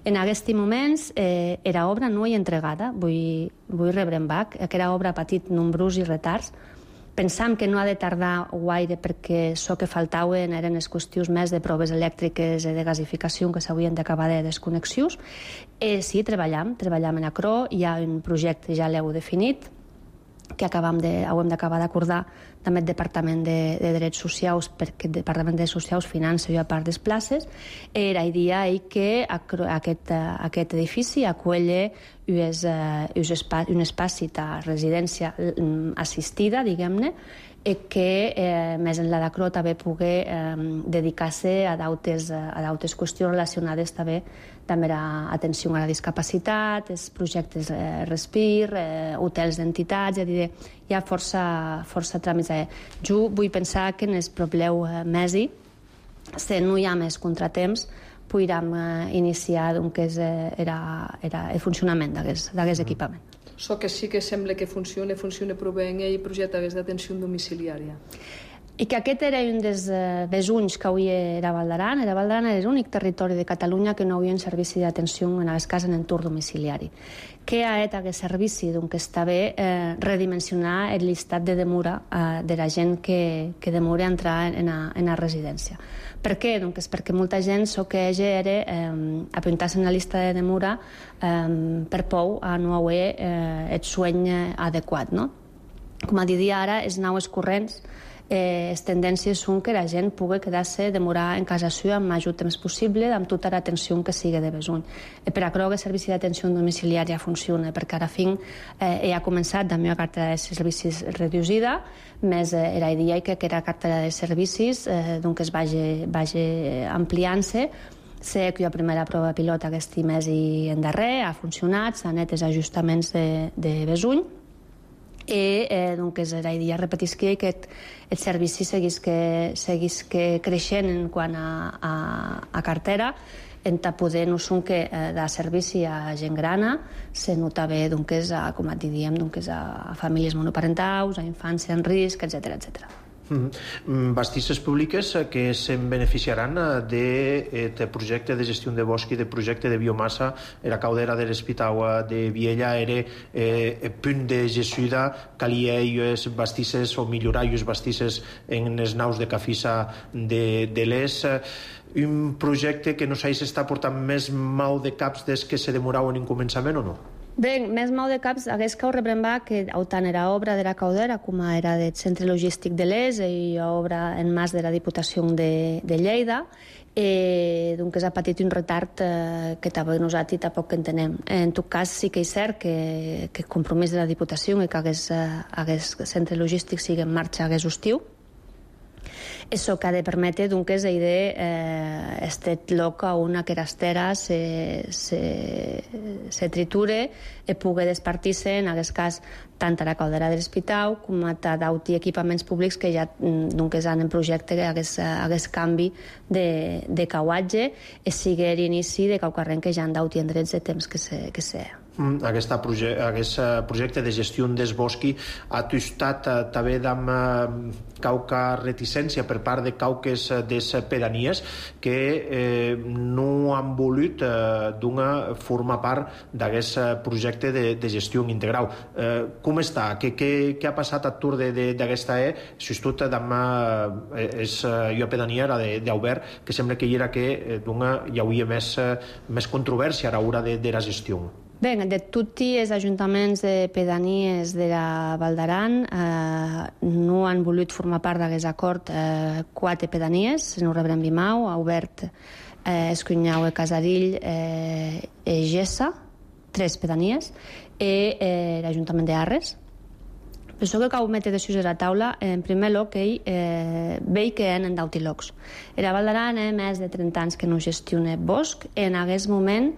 H: En aquests moments, eh, era obra no hi entregada, vull, vull rebre en bac, aquesta obra ha patit nombrosos i retards. Pensam que no ha de tardar gaire perquè això que faltaven eren les qüestions més de proves elèctriques i de gasificació que s'haurien d'acabar de desconnexions. Eh, sí, treballam, treballam en acro, hi ha un projecte, ja l'heu definit, que acabam de, haurem d'acabar d'acordar també el Departament de, de Drets Socials, perquè el Departament de Drets Socials finança una part de les places. Era idea que aquest, aquest edifici acull un espai de residència assistida, diguem-ne, i que eh, més enllà d'acro també pugui eh, dedicar-se a d'altres qüestions relacionades també també a atenció a la discapacitat, els projectes eh, Respir, eh, hotels d'entitats, és a dir, hi ha força, força tràmits. Eh. Jo vull pensar que en els propers mesos, si no hi ha més contratemps, podríem eh, iniciar doncs, eh, era, era el funcionament d'aquest equipament.
I: So que sí que sembla que funciona, funciona prou bé en el projecte d'atenció domiciliària.
H: I que aquest era un dels eh, besunys que avui era Val d'Aran. Era Val d'Aran era l'únic territori de Catalunya que no havia un servici d'atenció en les cases en entorn domiciliari. Que ha estat aquest servici? Doncs que està bé eh, redimensionar el llistat de demora eh, de la gent que, que demora a entrar en la, en la residència. Per què? Doncs perquè molta gent so que era eh, apuntar-se en la llista de demora eh, per por a no haver eh, el sueño adequat, no? Com a dir ara, els nous corrents Eh, les tendències són que la gent pugui quedar-se, demorar en casa seva amb el major temps possible, amb tota l'atenció que sigui de besuny. Eh, per a que el servici d'atenció domiciliària funciona, perquè ara fin eh, ja ha començat la meva cartera de servicis reduïda, més eh, era el dia que aquesta cartera de servicis eh, doncs es vagi, vagi ampliant-se. Sé que la primera prova pilota aquest mes i en darrer ha funcionat, s'han fet els ajustaments de, de besuny, i eh, doncs era idea repetisqui que el servici seguís que, seguís que creixent en quant a, a, a cartera, en poder no són que eh, de servici a gent grana se nota bé doncs, a, com et diem, doncs, a famílies monoparentals, a infància en risc, etcètera, etcètera.
A: Mm-hmm. Bastisses públiques que se'n beneficiaran d'aquest projecte de gestió de bosc i de projecte de biomassa. Era caudera de l'Hospital de Viella, era eh, punt de gestió calia els bastisses o millorar els bastisses en les naus de cafissa de, de l'Es. Un projecte que no sé si està portant més mal de caps des que se demorau en un començament o no?
H: Bé, més mal de caps hagués que ho rebrembar que tant era obra de la caudera com era del centre logístic de l'Es i obra en mas de la Diputació de, de Lleida, eh, doncs ha patit un retard eh, que tampoc nosaltres tampoc entenem. En tot cas, sí que és cert que, que el compromís de la Diputació i que aquest eh, centre logístic sigui en marxa aquest estiu. Això que ha de permetre doncs, de eh, este lloc on aquesta estera se, se, se triture i pugui despartir-se, en aquest cas, tant a la caldera de l'Hospital com a d'auti equipaments públics que ja doncs, han en projecte aquest, aquest canvi de, de cauatge i sigui l'inici de caucarrent que ja han d'auti en drets de temps que se, que se
A: Aquest proje projecte de gestió des bosqui ha tostat eh, també amb eh, cauca reticència per part de cauques des pedanies que eh, no han volut eh, donar formar part d'aquest projecte de, de gestió integral. Eh, com està? Què, què, què ha passat a tur d'aquesta E? Justut amb eh, és jo pedania era d'Aubert, que sembla que hi era que eh, dona, hi hauria més, més controvèrsia a l'hora de, de la gestió.
H: Bé, de tutti els ajuntaments de pedanies de la Val d'Aran eh, no han volut formar part d'aquest acord eh, quatre pedanies, no rebrem Bimau, Aubert, eh, Escunyau, Casarill, eh, e Gessa, tres pedanies, i eh, l'Ajuntament d'Arres. Per això que cal metre decisions a la taula, en primer lloc, ell eh, veig que en d'autilocs. La Val d'Aran ha més de trenta anys que no gestiona bosc, en aquest moment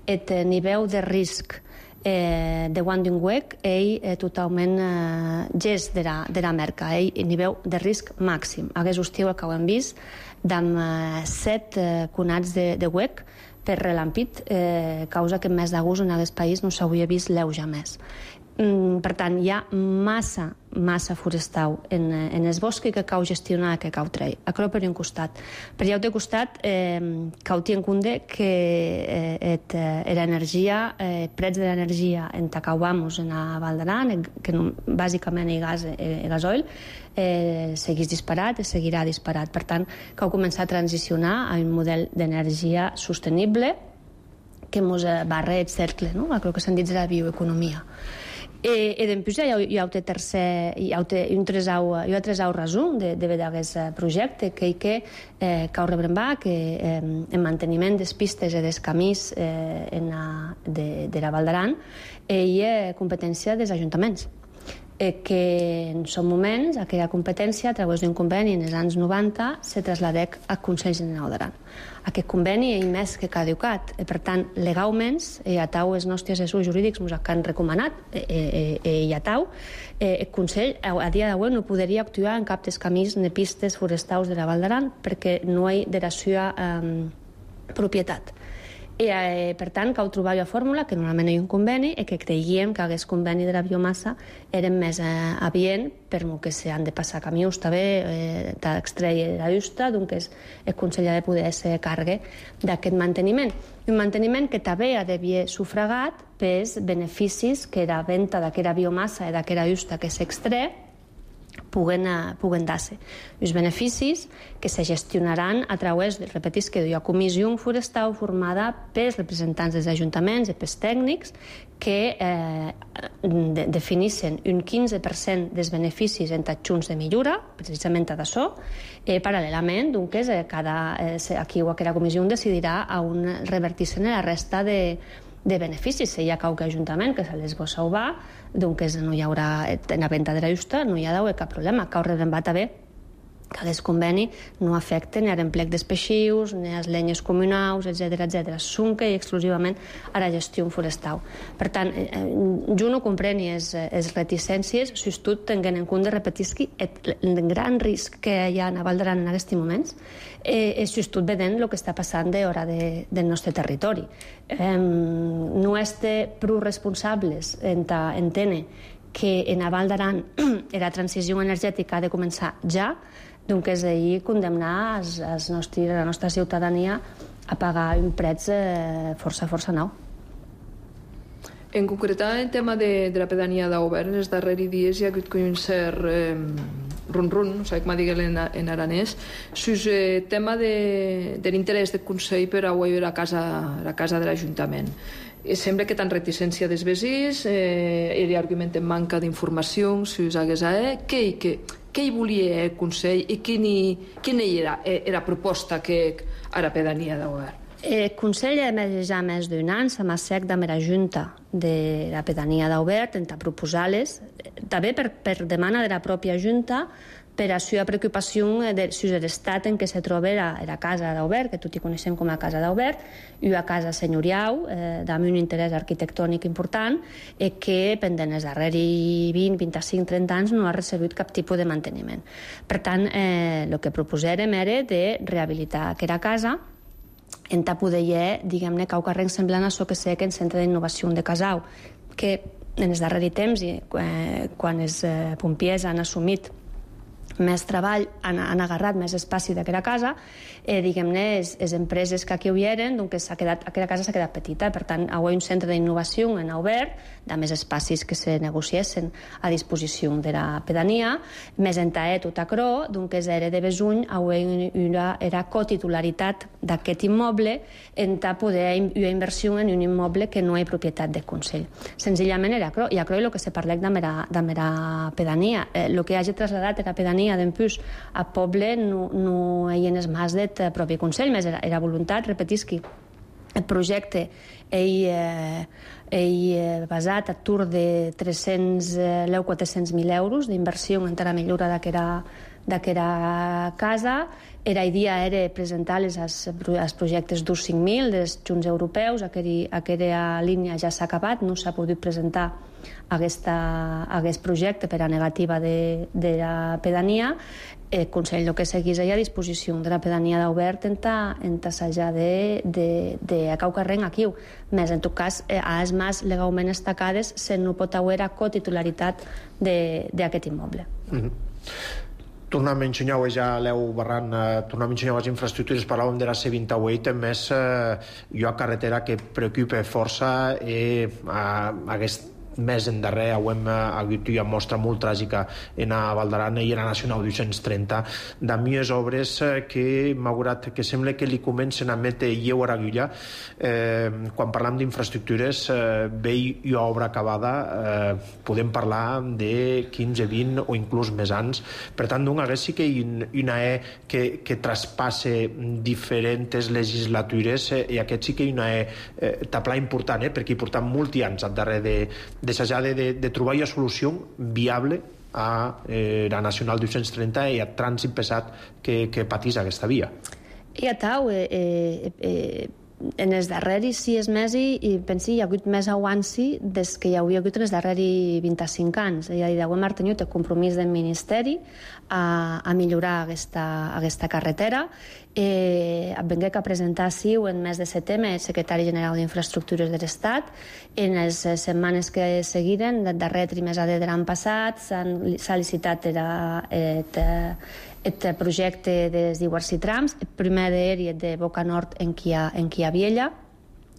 H: el nivell de risc eh, de Wanding Weg ell eh, totalment eh, gest de la, de la merca, ell nivell de risc màxim. Aquest estiu que ho hem vist amb eh, set eh, conats de, de Weg per relampit, eh, causa que en mes d'agost en aquest país no s'hauria vist l'euja més. Per tant, hi ha massa, massa forestal en, en els boscs que cal gestionar, que cal treure. Això per un costat. Per l'altre costat, eh, cal tenir en compte que eh, l'energia, eh, preus de l'energia en Tacaubamos, en la Val d'Aran, que no, bàsicament el gas, el gasoil, eh, segueix disparat i seguirà disparat. Per tant, cal començar a transicionar a un model d'energia sostenible que ens barra el cercle, no? El que s'han dit de la bioeconomia. I, i després hi ha, hi ha un tercer hi ha un tresau, hi ha tresau resum de, de d'aquest projecte que, que eh, cal rebrembar que eh, en manteniment des pistes i des camins eh, en la, de, de la Val d'Aran eh, hi ha competència dels ajuntaments eh, que en són moments aquella competència a través d'un conveni en els anys noranta se trasladec al Consell General d'Aran. Aquest conveni és més que caducat. Per tant, legalment, i a tau els nostres assessors jurídics ens han recomanat, i a tau, el Consell a dia d'avui no podria actuar en cap dels camins ni pistes forestals de la Val d'Aran perquè no hi ha de la seva propietat. I, eh, per tant, cal trobar una fórmula que normalment hi ha un conveni i que creiem que aquest conveni de la biomassa era més eh, adient per lo que s'han de passar camions també eh, d'extreure la justa, doncs el Consell ha de poder ser càrrec d'aquest manteniment. Un manteniment que també ha d'haver sufragat pels beneficis que la venda d'aquesta biomassa i d'aquesta justa que s'extret puguen, puguen dar-se. Els beneficis que se gestionaran a través, repetis que hi ha comissió forestal formada pels representants dels ajuntaments i pels tècnics que eh, de, definissin un quinze per cent dels beneficis en adjunts de millora, precisament d'això, eh, paral·lelament, doncs, eh, cada, eh, aquí o aquella comissió decidirà a on revertir-se la resta de de beneficis. Si hi ha qualque ajuntament que se les vol salvar, doncs no hi haurà, en la venda de la justa no hi ha d'haver cap problema. Cal rebrembar també que aquest conveni no afecta ni a l'emplec dels peixius, ni a les llenyes comunals, etcètera, etcètera. S'unca i exclusivament a la gestió forestal. Per tant, jo no comprenc les, les reticències, si tot tenint en compte, repetisc, el gran risc que hi ha a Val d'Aran en aquests moments eh, és si tot vedent el que està passant d'hora de, del nostre territori. Eh, no estem prou responsables en entendre que en Val d'Aran la transició energètica ha de començar ja, doncs és ahir condemnar els, els nostres, la nostra ciutadania a pagar un preu eh, força, força nou.
I: En concret, en tema de, de la pedania d'Aubert, en els darrers dies hi ha hagut un cert eh, run-run, no sé com dir en, en aranès, sus el eh, tema de, de l'interès del Consell per a la casa, la casa de l'Ajuntament. Sembla que tan reticència dels vesins, eh, hi argumenten manca d'informació, si us hagués a eh, què, què, què hi volia el Consell i quina, quina era, era la proposta que a la pedania d'Aubert?
H: El Consell ha emès ja més d'un any la massec de la Junta de la pedania d'Aubert en proposar-les, també per, per demana de la pròpia Junta, per a la preocupació de, de l'estat en què se troba la, la casa d'Aubert, que tot hi coneixem com a casa d'Aubert, una casa senyorial, eh, amb un interès arquitectònic important, i que, pendent els darrers vint, vint-i-cinc, trenta anys, no ha rebut cap tipus de manteniment. Per tant, eh, el que proposàrem era de rehabilitar aquesta casa, en ta poder hi ha, diguem-ne, cau carrer semblant a això que sé que en Centre d'Innovació de Casau, que en els darrers temps, eh, quan els eh, pompiers han assumit més treball, han, han agarrat més espaci d'aquesta casa, eh, diguem-ne, les empreses que aquí hi eren, doncs quedat, aquella casa s'ha quedat petita, per tant, hi ha un centre d'innovació en Aubert, de més espacis que se negociessin a disposició de la pedania, més entaet tot acrò, doncs era de besuny, hi una, era cotitularitat d'aquest immoble, en ta poder una inversió en un immoble que no és propietat del Consell. Senzillament era acrò, i acrò és el que se parlec de mera, de mera pedania. Eh, el que hagi trasladat era pedania d'empús a poble no, no hi ha més del propi Consell, més era, era voluntat, repetisqui, el projecte ell, eh, ell eh, basat a tur de tres-cents mil, quatre-cents mil euros d'inversió en la millora d'aquesta casa. Era idea era presentar els, els projectes d'ús cinc mil dels junts europeus. Aquella, aquella línia ja s'ha acabat, no s'ha pogut presentar aquesta, aquest projecte per a negativa de, de la pedania. El Consell el que seguís a disposició de la pedania d'Aubert en tassejar de, de, de cau carrer aquí. Més, en tot cas, a les mas legalment estacades se no pot haver a cotitularitat d'aquest immoble.
A: Mm-hmm. Tornem a ensenyar, ja l'heu barrant, eh, tornem a ensenyar les infraestructures, parlàvem de la C vint-i-vuit, més eh, hi ha carretera que preocupa força i eh, aquest més endarrer hem hagut una mostra molt tràgica en a Val d'Aran i en la Nacional dos-cents trenta de mies obres que malgrat que sembla que li comencen a metre lleu a l'agulla, eh, quan parlam d'infraestructures eh, bé i obra acabada eh, podem parlar de quinze, vint o inclús més anys. Per tant, doncs, hagués sí que hi una E que, que traspasse diferents legislatures eh, i aquest sí que hi una E eh, tapla important, eh, perquè hi portam molts anys al darrer de d'assajar de, de, de trobar una solució viable a eh, la Nacional dos-cents trenta i a trànsit pesat que, que patís aquesta via.
H: I a tau, eh, eh, en els darreris sis mesos i pensi hi ha hagut més avanci des que hi havia hagut en els darreris vint-i-cinc anys. És a dir, hem mantingut el compromís del Ministeri a, a millorar aquesta, aquesta carretera. Eh, vengué que presentar siu en mes de setembre el secretari general d'Infraestructures de l'Estat. En les setmanes que seguiren, del darrer trimestre de l'any passat, s'ha licitat el projecte dels diversos trams. El primer d'ells és de Boca Nord en qui hi ha, en qui hi ha Viella,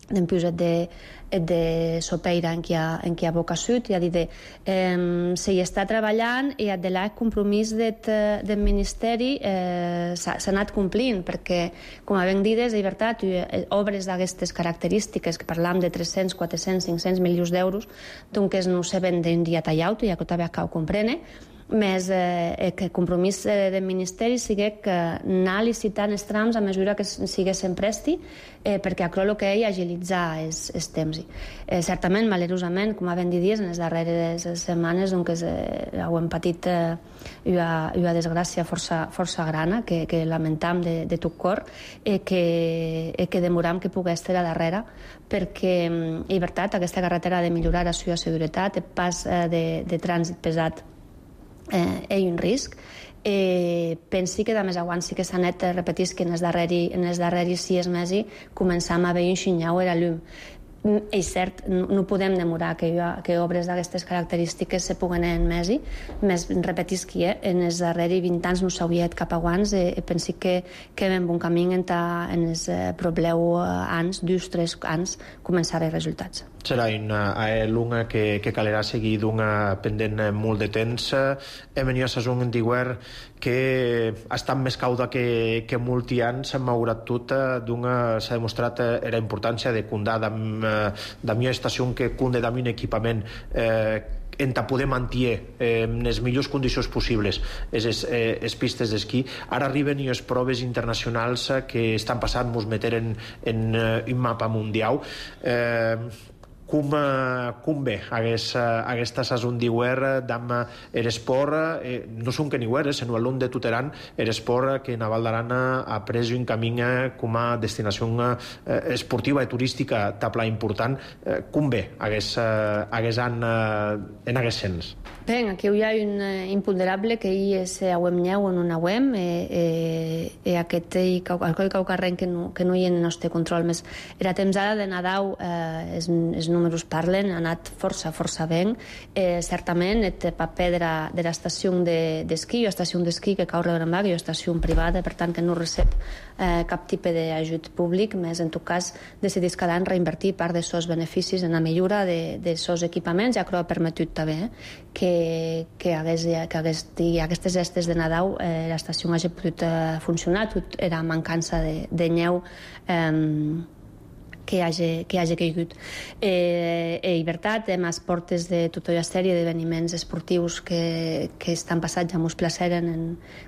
H: dempués de, de Sopeira en qui hi ha, en qui hi ha Boca Sud. I ha dit, eh, se hi està treballant i de l'any compromís del, del Ministeri eh, s'ha anat complint, perquè, com a ben dides, de veritat, obres d'aquestes característiques, que parlam de tres-cents, quatre-cents, cinc-cents milions d'euros, doncs no se ven d'un dia tallat, ja que també cal comprene, més eh, que el compromís eh, del Ministeri sigui que anar licitant els trams a mesura que siguessin presti, eh, perquè això el que és agilitzar els, els temps. Eh, certament, malerosament, com ha ben dit dies, en les darreres setmanes doncs, eh, ho hem patit eh, una, una desgràcia força, força grana, que, que lamentam de, de tot cor, eh, que, eh, que demoram que pogués estar a darrere, perquè, en veritat, aquesta carretera ha de millorar la seva seguretat, el pas eh, de, de trànsit pesat Eh, hi ha un risc. Eh, pensi que de més aguant sí que s'ha anat repetís que en els darreris, en els darreris sis mesos començam a veure un xinyau a la llum. És cert, no, no podem demorar que, que obres d'aquestes característiques se puguen en mesi, més repetis que eh, en els darreris vint anys no s'hauria cap aguants, eh, pensi que, que en bon camí en, ta, en els eh, probleu anys, dos, tres anys, començar a resultats.
A: Serà una lunga que, que calerà seguir d'una pendent molt de temps. Hem venido a saison en diuer que ha estat més cauda que, que molti anys, malgrat tot, s'ha demostrat la importància de comptar amb la millor estació que cunde amb un equipament eh, en ta poder mantenir eh, en les millors condicions possibles les eh, pistes d'esquí. Ara arriben les proves internacionals que estan passant, mos meteren en, en un mapa mundial. Eh, Com, com bé aquesta, aquesta saison d'hivern d'am l'esport, eh, no són que n'hivern, sinó a l'on de tuteran l'esport que Naval d'Aran ha pres un camí com a destinació eh, esportiva i turística tabla important. Eh, com bé hagués an en aquest sens?
H: Bé, aquí hi ha un imponderable que hi és a web nyeu o no a web, i aquest i cau carrer que no hi ha en el nostre control. Més era temps ara de Nadal, els números parlen, ha anat força, força ben. Eh, certament, el paper de, la, de l'estació d'esquí, o estació d'esquí que cau rebre en vaga, o estació privada, per tant que no recep eh, cap tipus d'ajut públic, més en tot cas decidís cada any reinvertir part dels seus beneficis en la millora de, dels seus equipaments, ja que ho ha permetut també eh, que, que, hagués, que hagués, aquestes estes de Nadal eh, l'estació hagi pogut eh, funcionar, tot era mancança de, de nyeu eh, que hi hagi, que hi hagi caigut. Eh, I, veritat, hem a portes de tota una sèrie d'esdeveniments esportius que, que estan passats, ja mos placeren en,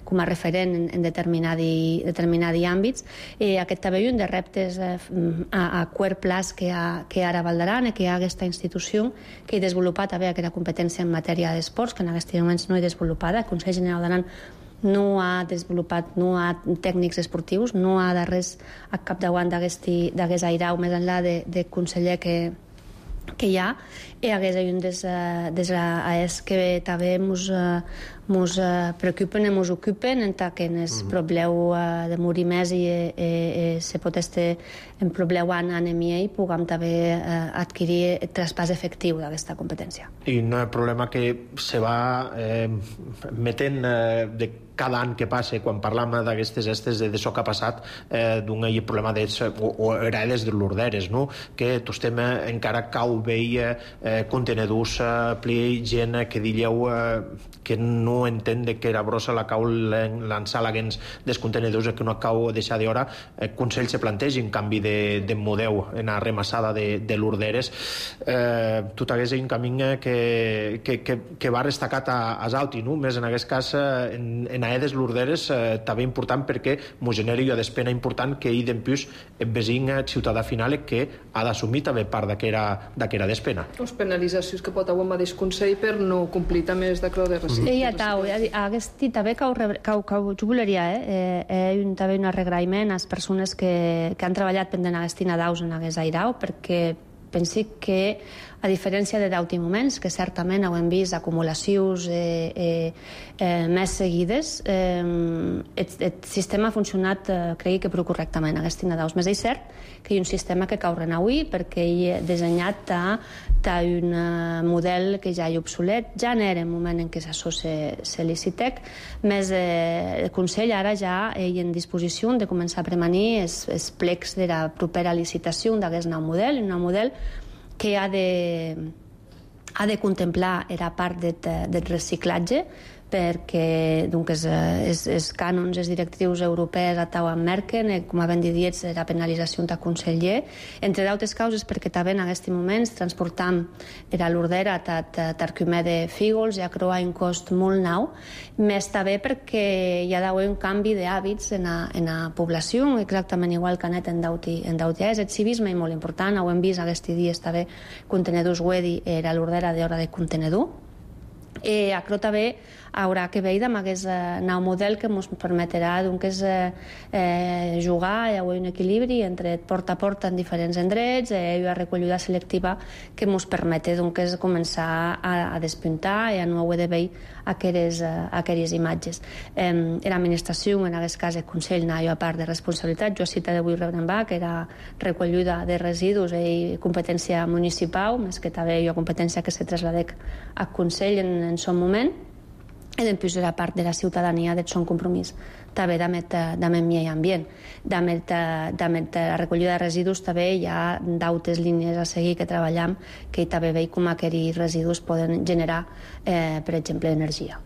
H: com a referent en, en determinats determinati àmbits. Eh, aquest també un de reptes eh, a, a quart plaç que, ha, que ara Val d'Aran, que hi ha aquesta institució que ha desenvolupat també aquesta competència en matèria d'esports, que en aquests moments no hi desenvolupada. El Consell General d'Aran no ha desenvolupat, no ha tècnics esportius, no ha de res a capdavant d'aquest airau més enllà de, de conseller que, que hi ha, i hagués un des, des és que també mos, mos preocupen i mos ocupen en que en el probleu de morir més i, i, i se pot estar en probleu en anemia i puguem també adquirir el traspàs efectiu d'aquesta competència.
A: I un problema que se va eh, metent eh, de cada any que passa, quan parlam d'aquestes estes de això que ha passat, eh, d'un problema d'ells, o, o era des de l'Orderes, no? Que tot estem encara cau veia eh, contenedors, eh, pli gent que dilleu eh, que no entén de que era brossa la cau lançar l'agens dels contenedors que no cau deixar d'hora. El Consell se planteja un canvi de, de model en la remassada de, de l'Orderes. Eh, tot hagués un camí que, que, que, que va destacat a, a Zalti, no? Més en aquest cas en, en naedes lorderes també important perquè m'ho genera jo despena important que hi dempús el vesin ciutadà final que ha d'assumir també part d'aquera despena.
I: Les penalitzacions que pot haver un mateix Consell per no complir també els d'acord de reciclatge.
H: Ja tau, aquest també cau jo voleria, eh, un també un arregraïment a les persones que han treballat pendent aquesta daus en aquest airau, perquè pensi que, a diferència de d'altres moments, que certament ho hem vist acumulacions eh, eh, eh, més seguides, eh, el, el sistema ha funcionat, eh, crec que prou correctament, aquesta daus. Més és cert que hi ha un sistema que cau renavui perquè hi ha dissenyat a, a un model que ja hi ha obsolet, ja n'era en moment en què s'assò se licitec, més eh, el Consell ara ja hi ha en disposició de començar a premanir els, els plecs de la propera licitació d'aquest nou model, un nou model que ha de, ha de contemplar la part del de reciclatge, perquè doncs, els, els cànons, els directius europeus a tau en merquen, com havent dit, la penalització de conseller, entre d'altres causes perquè també en aquests moments transportam era l'ordera tarcumè de fígols, ja creua un cost molt nou, més també perquè hi ha d'haver un canvi d'hàbits en, en la població, exactament igual que ha anat en d'autres. El civisme és molt important, ho hem vist aquests dies també, contenedors wedi era l'ordera d'hora de contenedor. Eh, acro també haurà que veure amb aquest eh, nou model que ens permetrà doncs, eh, eh, jugar, hi ha un equilibri entre porta a porta en diferents endrets, eh, hi ha recollida selectiva que ens permet doncs, començar a, a despuntar i a no haver de veure aquelles, eh, aquelles imatges. Eh, L'administració, en aquest cas el Consell, n'ha a part de responsabilitat, jo cita d'avui Rebrenbach, que era recollida de residus i competència municipal, més que també hi ha competència que se trasladec al Consell en, en son moment, i després la part de la ciutadania del son compromís també d'amet medi ambient. D'amet la recollida de residus també hi ha d'altres línies a seguir que treballem que també veig com aquests residus poden generar, eh, per exemple, energia.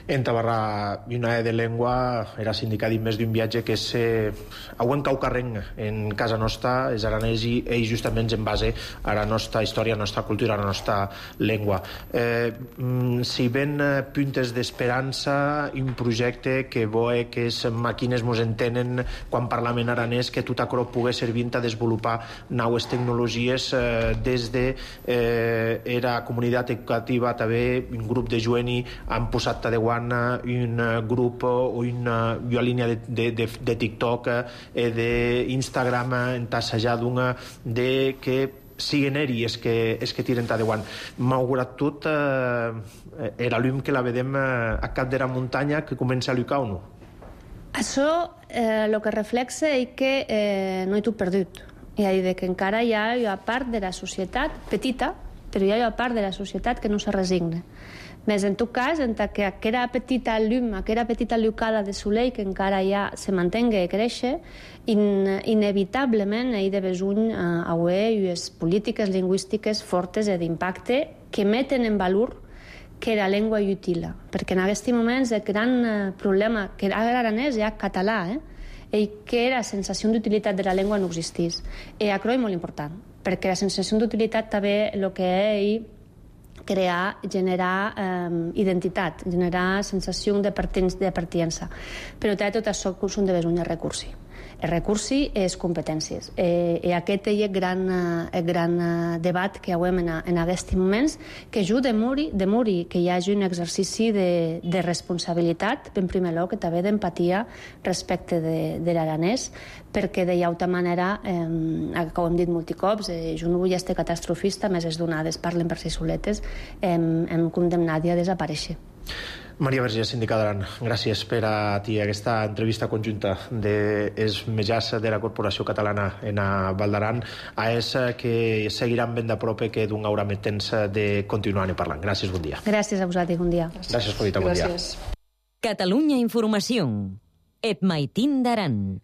A: En Tabarra, una de llengua era sindicat més d'un viatge que és eh, a un caucarrenc en casa nostra, és aranès i ells justament en base a la nostra història, a la nostra cultura, a la nostra llengua. Eh, si ven puntes d'esperança, un projecte que voe que les màquines mos entenen quan parlam en aranès, que tot això pugui servir a desenvolupar noves tecnologies eh, des de eh, era comunitat educativa també un grup de jueni han posat de guana un grup o una, una línia de, de, de, de TikTok eh, d'Instagram entassejar d'una de que siguen elles que, es que tiren de guant. Malgrat tot eh, era l'um que la vedem eh, a cap de la muntanya que comença a llucar o no?
H: Això el eh, que reflexa és que eh, no hi tot perdut. És a dir, que encara hi ha una part de la societat petita, però hi ha una part de la societat que no se resigna. Més en tot cas, en que aquella petita llum, aquella petita llucada de soleil que encara ja se mantenga i créixer, in, inevitablement hi ha de besoin eh, haver unes polítiques lingüístiques fortes i d'impacte que meten en valor que la llengua és útil, perquè en aquests moments el gran eh, problema que ara l'aranès ja català, eh, i que la sensació d'utilitat de la llengua no existís. I això és molt important, perquè la sensació d'utilitat també el que és crear, generar eh, identitat, generar sensació de pertinença. Però també tot això són de besoin de recursi. El recursi és competències. Eh, I aquest és el gran, el gran debat que hem en, en aquests moments, que jo demori, demori que hi hagi un exercici de, de responsabilitat, en primer lloc, que també d'empatia respecte de, de l'aranès, perquè de altra manera, eh, com hem dit multicops, eh, jo no vull ser catastrofista, més les donades parlen per si soletes, hem, hem condemnat a desaparèixer.
A: Maria Vergés, síndica d'Aran, gràcies per a ti aquesta entrevista conjunta dels metges de la Corporació Catalana en a Val d'Aran, a és que seguiran ben de prop que d'un haurà més temps de continuar parlant. Gràcies, bon dia.
H: Gràcies a vosaltres, bon dia.
A: Gràcies, Jovita, bon dia.
B: Catalunya Informació. Et maitín d'Aran.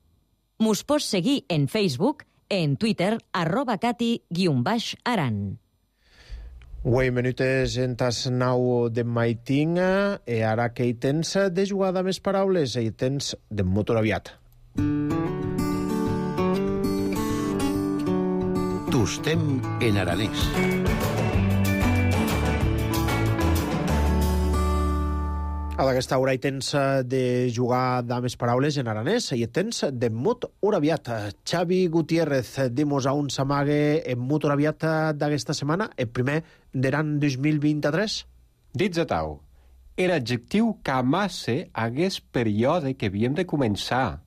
B: Mos pots seguir en Facebook, en Twitter, arroba cati guion baix aran.
A: Uei, minutes en tas nau de maitinga, e ara que hi tens de jugada més paraules, hi tens de motor aviat.
G: Tostem en aranès.
A: A d'aquesta hora hi tens de jugar dames paraules en aranès i et tens de mut oraviat. Xavi Gutiérrez, dimos a un s'amague en mut oraviat d'aquesta setmana, el primer d'eran dos mil vint-i-tres?
J: Dits a tau, era adjectiu que amasse hagués període que havíem de començar,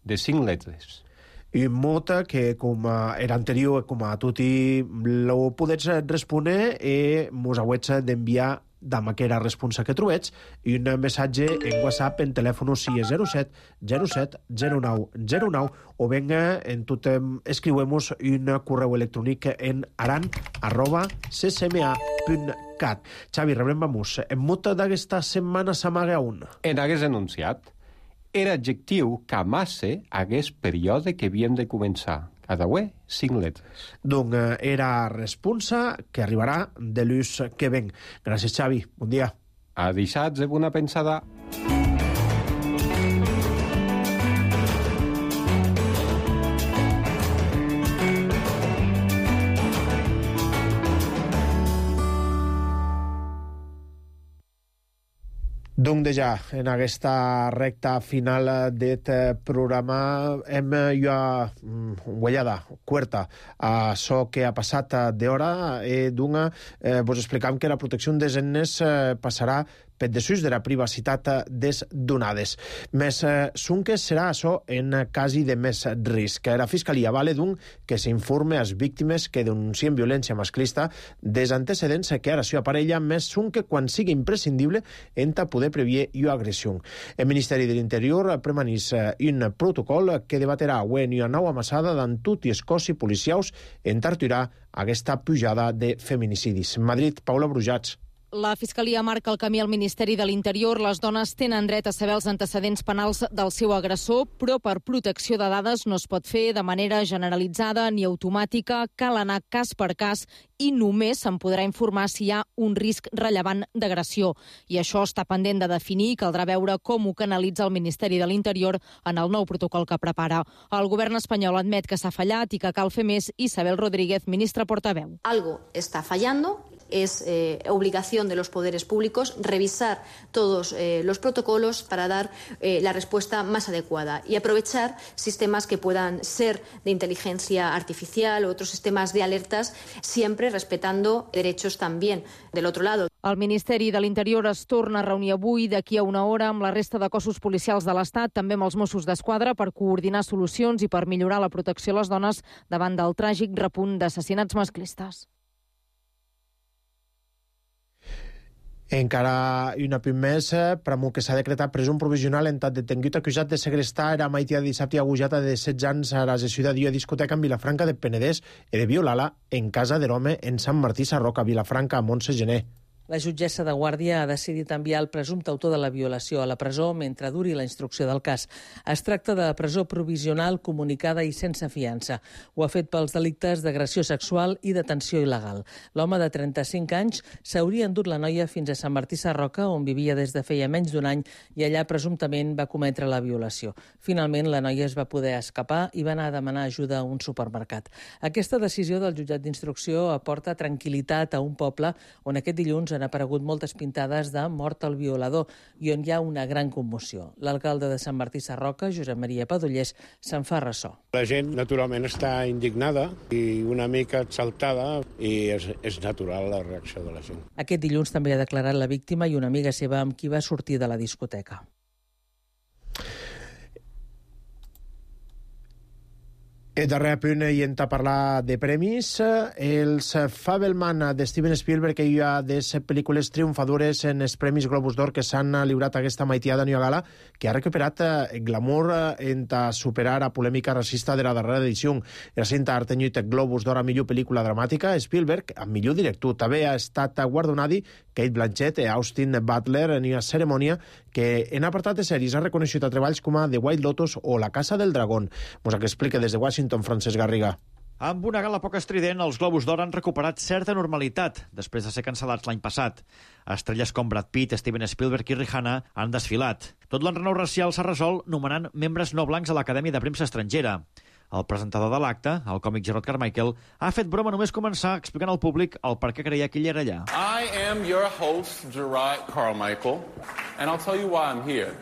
J: de cinc lletres.
A: I mut que, com era anterior, com a tutti lo podets respondre i mos hauets d'enviar dama que era responsa que trobets i un missatge en WhatsApp en telèfon zero set zero set zero nou zero nou o venga en tot escriuemos un correu electrònic en aran arroba c c m a punt cat. Xavi, rebrem vamos. En mut d'aquesta setmana s'amaga un.
J: En hagués enunciat. Era adjectiu que amasse hagués període que havíem de començar. Cada ué, cinc lletres.
A: Donc, era responsa que arribarà de l'ús que ven. Gràcies, Xavi. Bon dia.
J: A dissabte, bona pensada.
A: Donc, deja, en aquesta recta final d'aquest programa hem ja guanyada, quarta, a això que ha passat d'hora i d'una eh, vos explicam que la protecció des eines eh, passarà per desús de la privacitat des donades. Més eh, que serà això en casi de més risc. La Fiscalia vale d'un que s'informe a les víctimes que denuncien violència masclista des antecedents que ara s'hi aparella més un que quan sigui imprescindible enta poder previer i agressió. El Ministeri de l'Interior premanís un protocol que debaterà avui en una nova amassada d'en tot i els cossos policials en tarturar aquesta pujada de feminicidis. Madrid, Paula Brujats.
K: La Fiscalia marca el camí al Ministeri de l'Interior. Les dones tenen dret a saber els antecedents penals del seu agressor, però per protecció de dades no es pot fer de manera generalitzada ni automàtica. Cal anar cas per cas i només se'n podrà informar si hi ha un risc rellevant d'agressió. I això està pendent de definir i caldrà veure com ho canalitza el Ministeri de l'Interior en el nou protocol que prepara. El govern espanyol admet que s'ha fallat i que cal fer més. Isabel Rodríguez, ministra portaveu.
L: Algo está fallando. Es eh, obligación de los poderes públicos revisar todos eh, los protocolos para dar eh, la respuesta más adecuada y aprovechar sistemas que puedan ser de inteligencia artificial o otros sistemas de alertas, siempre respetando derechos también del otro lado.
K: El Ministeri de l'Interior es torna a reunir avui d'aquí a una hora amb la resta de cossos policials de l'Estat, també amb els Mossos d'Esquadra, per coordinar solucions i per millorar la protecció a les dones davant del tràgic repunt d'assassinats masclistes.
A: Encara una punt més, premu que s'ha decretat presum provisional en tant detengut acusat de segrestar era maitia dissabte agujata de setze anys a la Ciutat de discoteca en Vilafranca de Penedès i de violar-la en casa de l'home en Sant Martí Sarroca, Vilafranca, a Montse Gené.
M: La jutgessa de Guàrdia ha decidit enviar el presumpte autor de la violació a la presó mentre duri la instrucció del cas. Es tracta de presó provisional, comunicada i sense fiança. Ho ha fet pels delictes d'agressió sexual i detenció il·legal. L'home de trenta-cinc anys s'hauria endut la noia fins a Sant Martí Sarroca, on vivia des de feia menys d'un any, i allà presumptament va cometre la violació. Finalment, la noia es va poder escapar i va anar a demanar ajuda a un supermercat. Aquesta decisió del jutjat d'instrucció aporta tranquil·litat a un poble on aquest dilluns han aparegut moltes pintades de mort al violador i on hi ha una gran commoció. L'alcalde de Sant Martí Sarroca, Josep Maria Padollers, se'n fa ressò.
N: La gent, naturalment, està indignada i una mica exaltada i és, és natural la reacció de la gent.
M: Aquest dilluns també ha declarat la víctima i una amiga seva amb qui va sortir de la discoteca.
A: El darrer punt i en parlar de premis, els Fabelman de Steven Spielberg que hi ha des pel·lícules triomfadores en els Premis Globus d'Or que s'han lliurat aquesta maitiada Nova Gala, que ha recuperat el glamour en superar la polèmica racista de la darrera edició. El cinta ha tenyit Globus d'Or a millor pel·lícula dramàtica, Spielberg a millor director. També ha estat guardonadi Kate Blanchett i Austin Butler en una cerimònia que en apartat de sèries ha reconegut a treballs com a The White Lotus o La Casa del Dragón. Mos que explica des de Washington Francesc Garriga.
O: Amb una gala poc estrident, els Globus d'Or han recuperat certa normalitat després de ser cancel·lats l'any passat. Estrelles com Brad Pitt, Steven Spielberg i Rihanna han desfilat. Tot l'enrenou racial s'ha resolt nomenant membres no blancs a l'Acadèmia de Premsa Estrangera. El presentador de l'acte, el còmic Gerard Carmichael, ha fet broma només començar explicant al públic el per què creia que ell era allà.
P: I am your host, Gerard Carmichael, and I'll tell you why I'm here.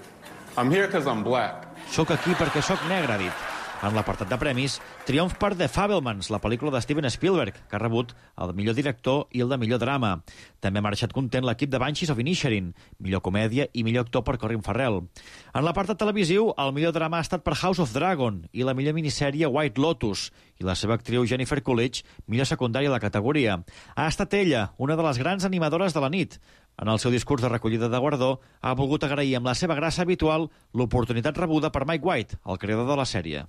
P: I'm here because I'm black.
O: Soc aquí perquè sóc negre, ha dit. En l'apartat de premis, triomf per The Fabelmans, la pel·lícula de Steven Spielberg, que ha rebut el de millor director i el de millor drama. També ha marxat content l'equip de Banshees of Inisherin, millor comèdia i millor actor per Colin Farrell. En l'apartat televisiu, el millor drama ha estat per House of Dragon i la millor minissèrie White Lotus, i la seva actriu Jennifer Coolidge, millor secundària a la categoria. Ha estat ella, una de les grans animadores de la nit. En el seu discurs de recollida de guardó, ha volgut agrair amb la seva gràcia habitual l'oportunitat rebuda per Mike White, el creador de la sèrie.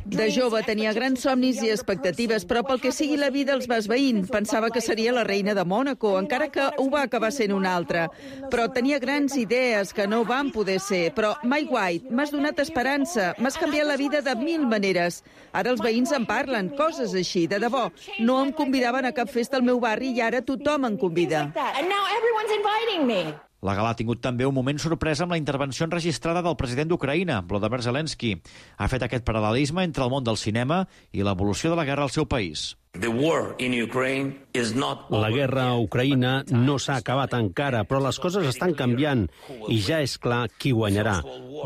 Q: De jove tenia grans somnis i expectatives, però pel que sigui la vida els va esveint. Pensava que seria la reina de Mònaco, encara que ho va acabar sent una altra. Però tenia grans idees que no van poder ser. Però, Mike White, m'has donat esperança, m'has canviat la vida de mil maneres. Ara els veïns en parlen, coses així, de debò. No em convidaven a cap festa al meu barri i ara tothom em convida.
R: And now everyone's inviting me.
O: La gala ha tingut també un moment sorpresa amb la intervenció enregistrada del president d'Ucraïna, Volodymyr Zelensky. Ha fet aquest paral·lelisme entre el món del cinema i l'evolució de la guerra al seu país.
S: La guerra a Ucraïna no s'ha acabat encara, però les coses estan canviant i ja és clar qui guanyarà.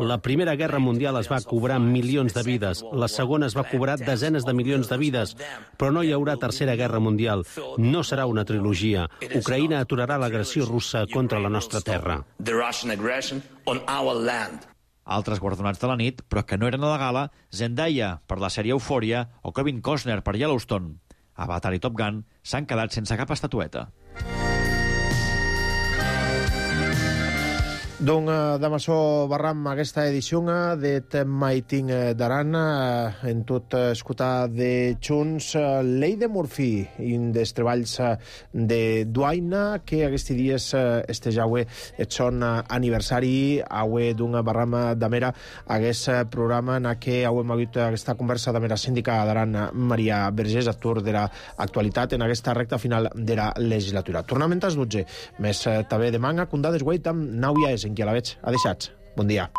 S: La Primera Guerra Mundial es va cobrar milions de vides, la segona es va cobrar desenes de milions de vides, però no hi haurà Tercera Guerra Mundial. No serà una trilogia. Ucraïna aturarà l'agressió russa contra la nostra terra.
O: Altres guardonats de la nit, però que no eren a la gala, Zendaya per la sèrie Euphoria o Kevin Costner per Yellowstone. Avatar i Top Gun s'han quedat sense cap estatueta.
A: Donc, d'amaçò barram aquesta edició de Maiting d'Aran en tot escoltar de Junts Llei de Murphy in des treballs de Duaina que aquests dies este jaue et son aniversari aue d'un barram d'amera aquest programa en què hauem hagut aquesta conversa d'amera síndica d'Aran Maria Vergés, actor de l'actualitat en aquesta recta final de la legislatura. Tornament als dotze, més també de manga, condades guait amb Nauia és en qui a la veig. Adeixats. Bon dia.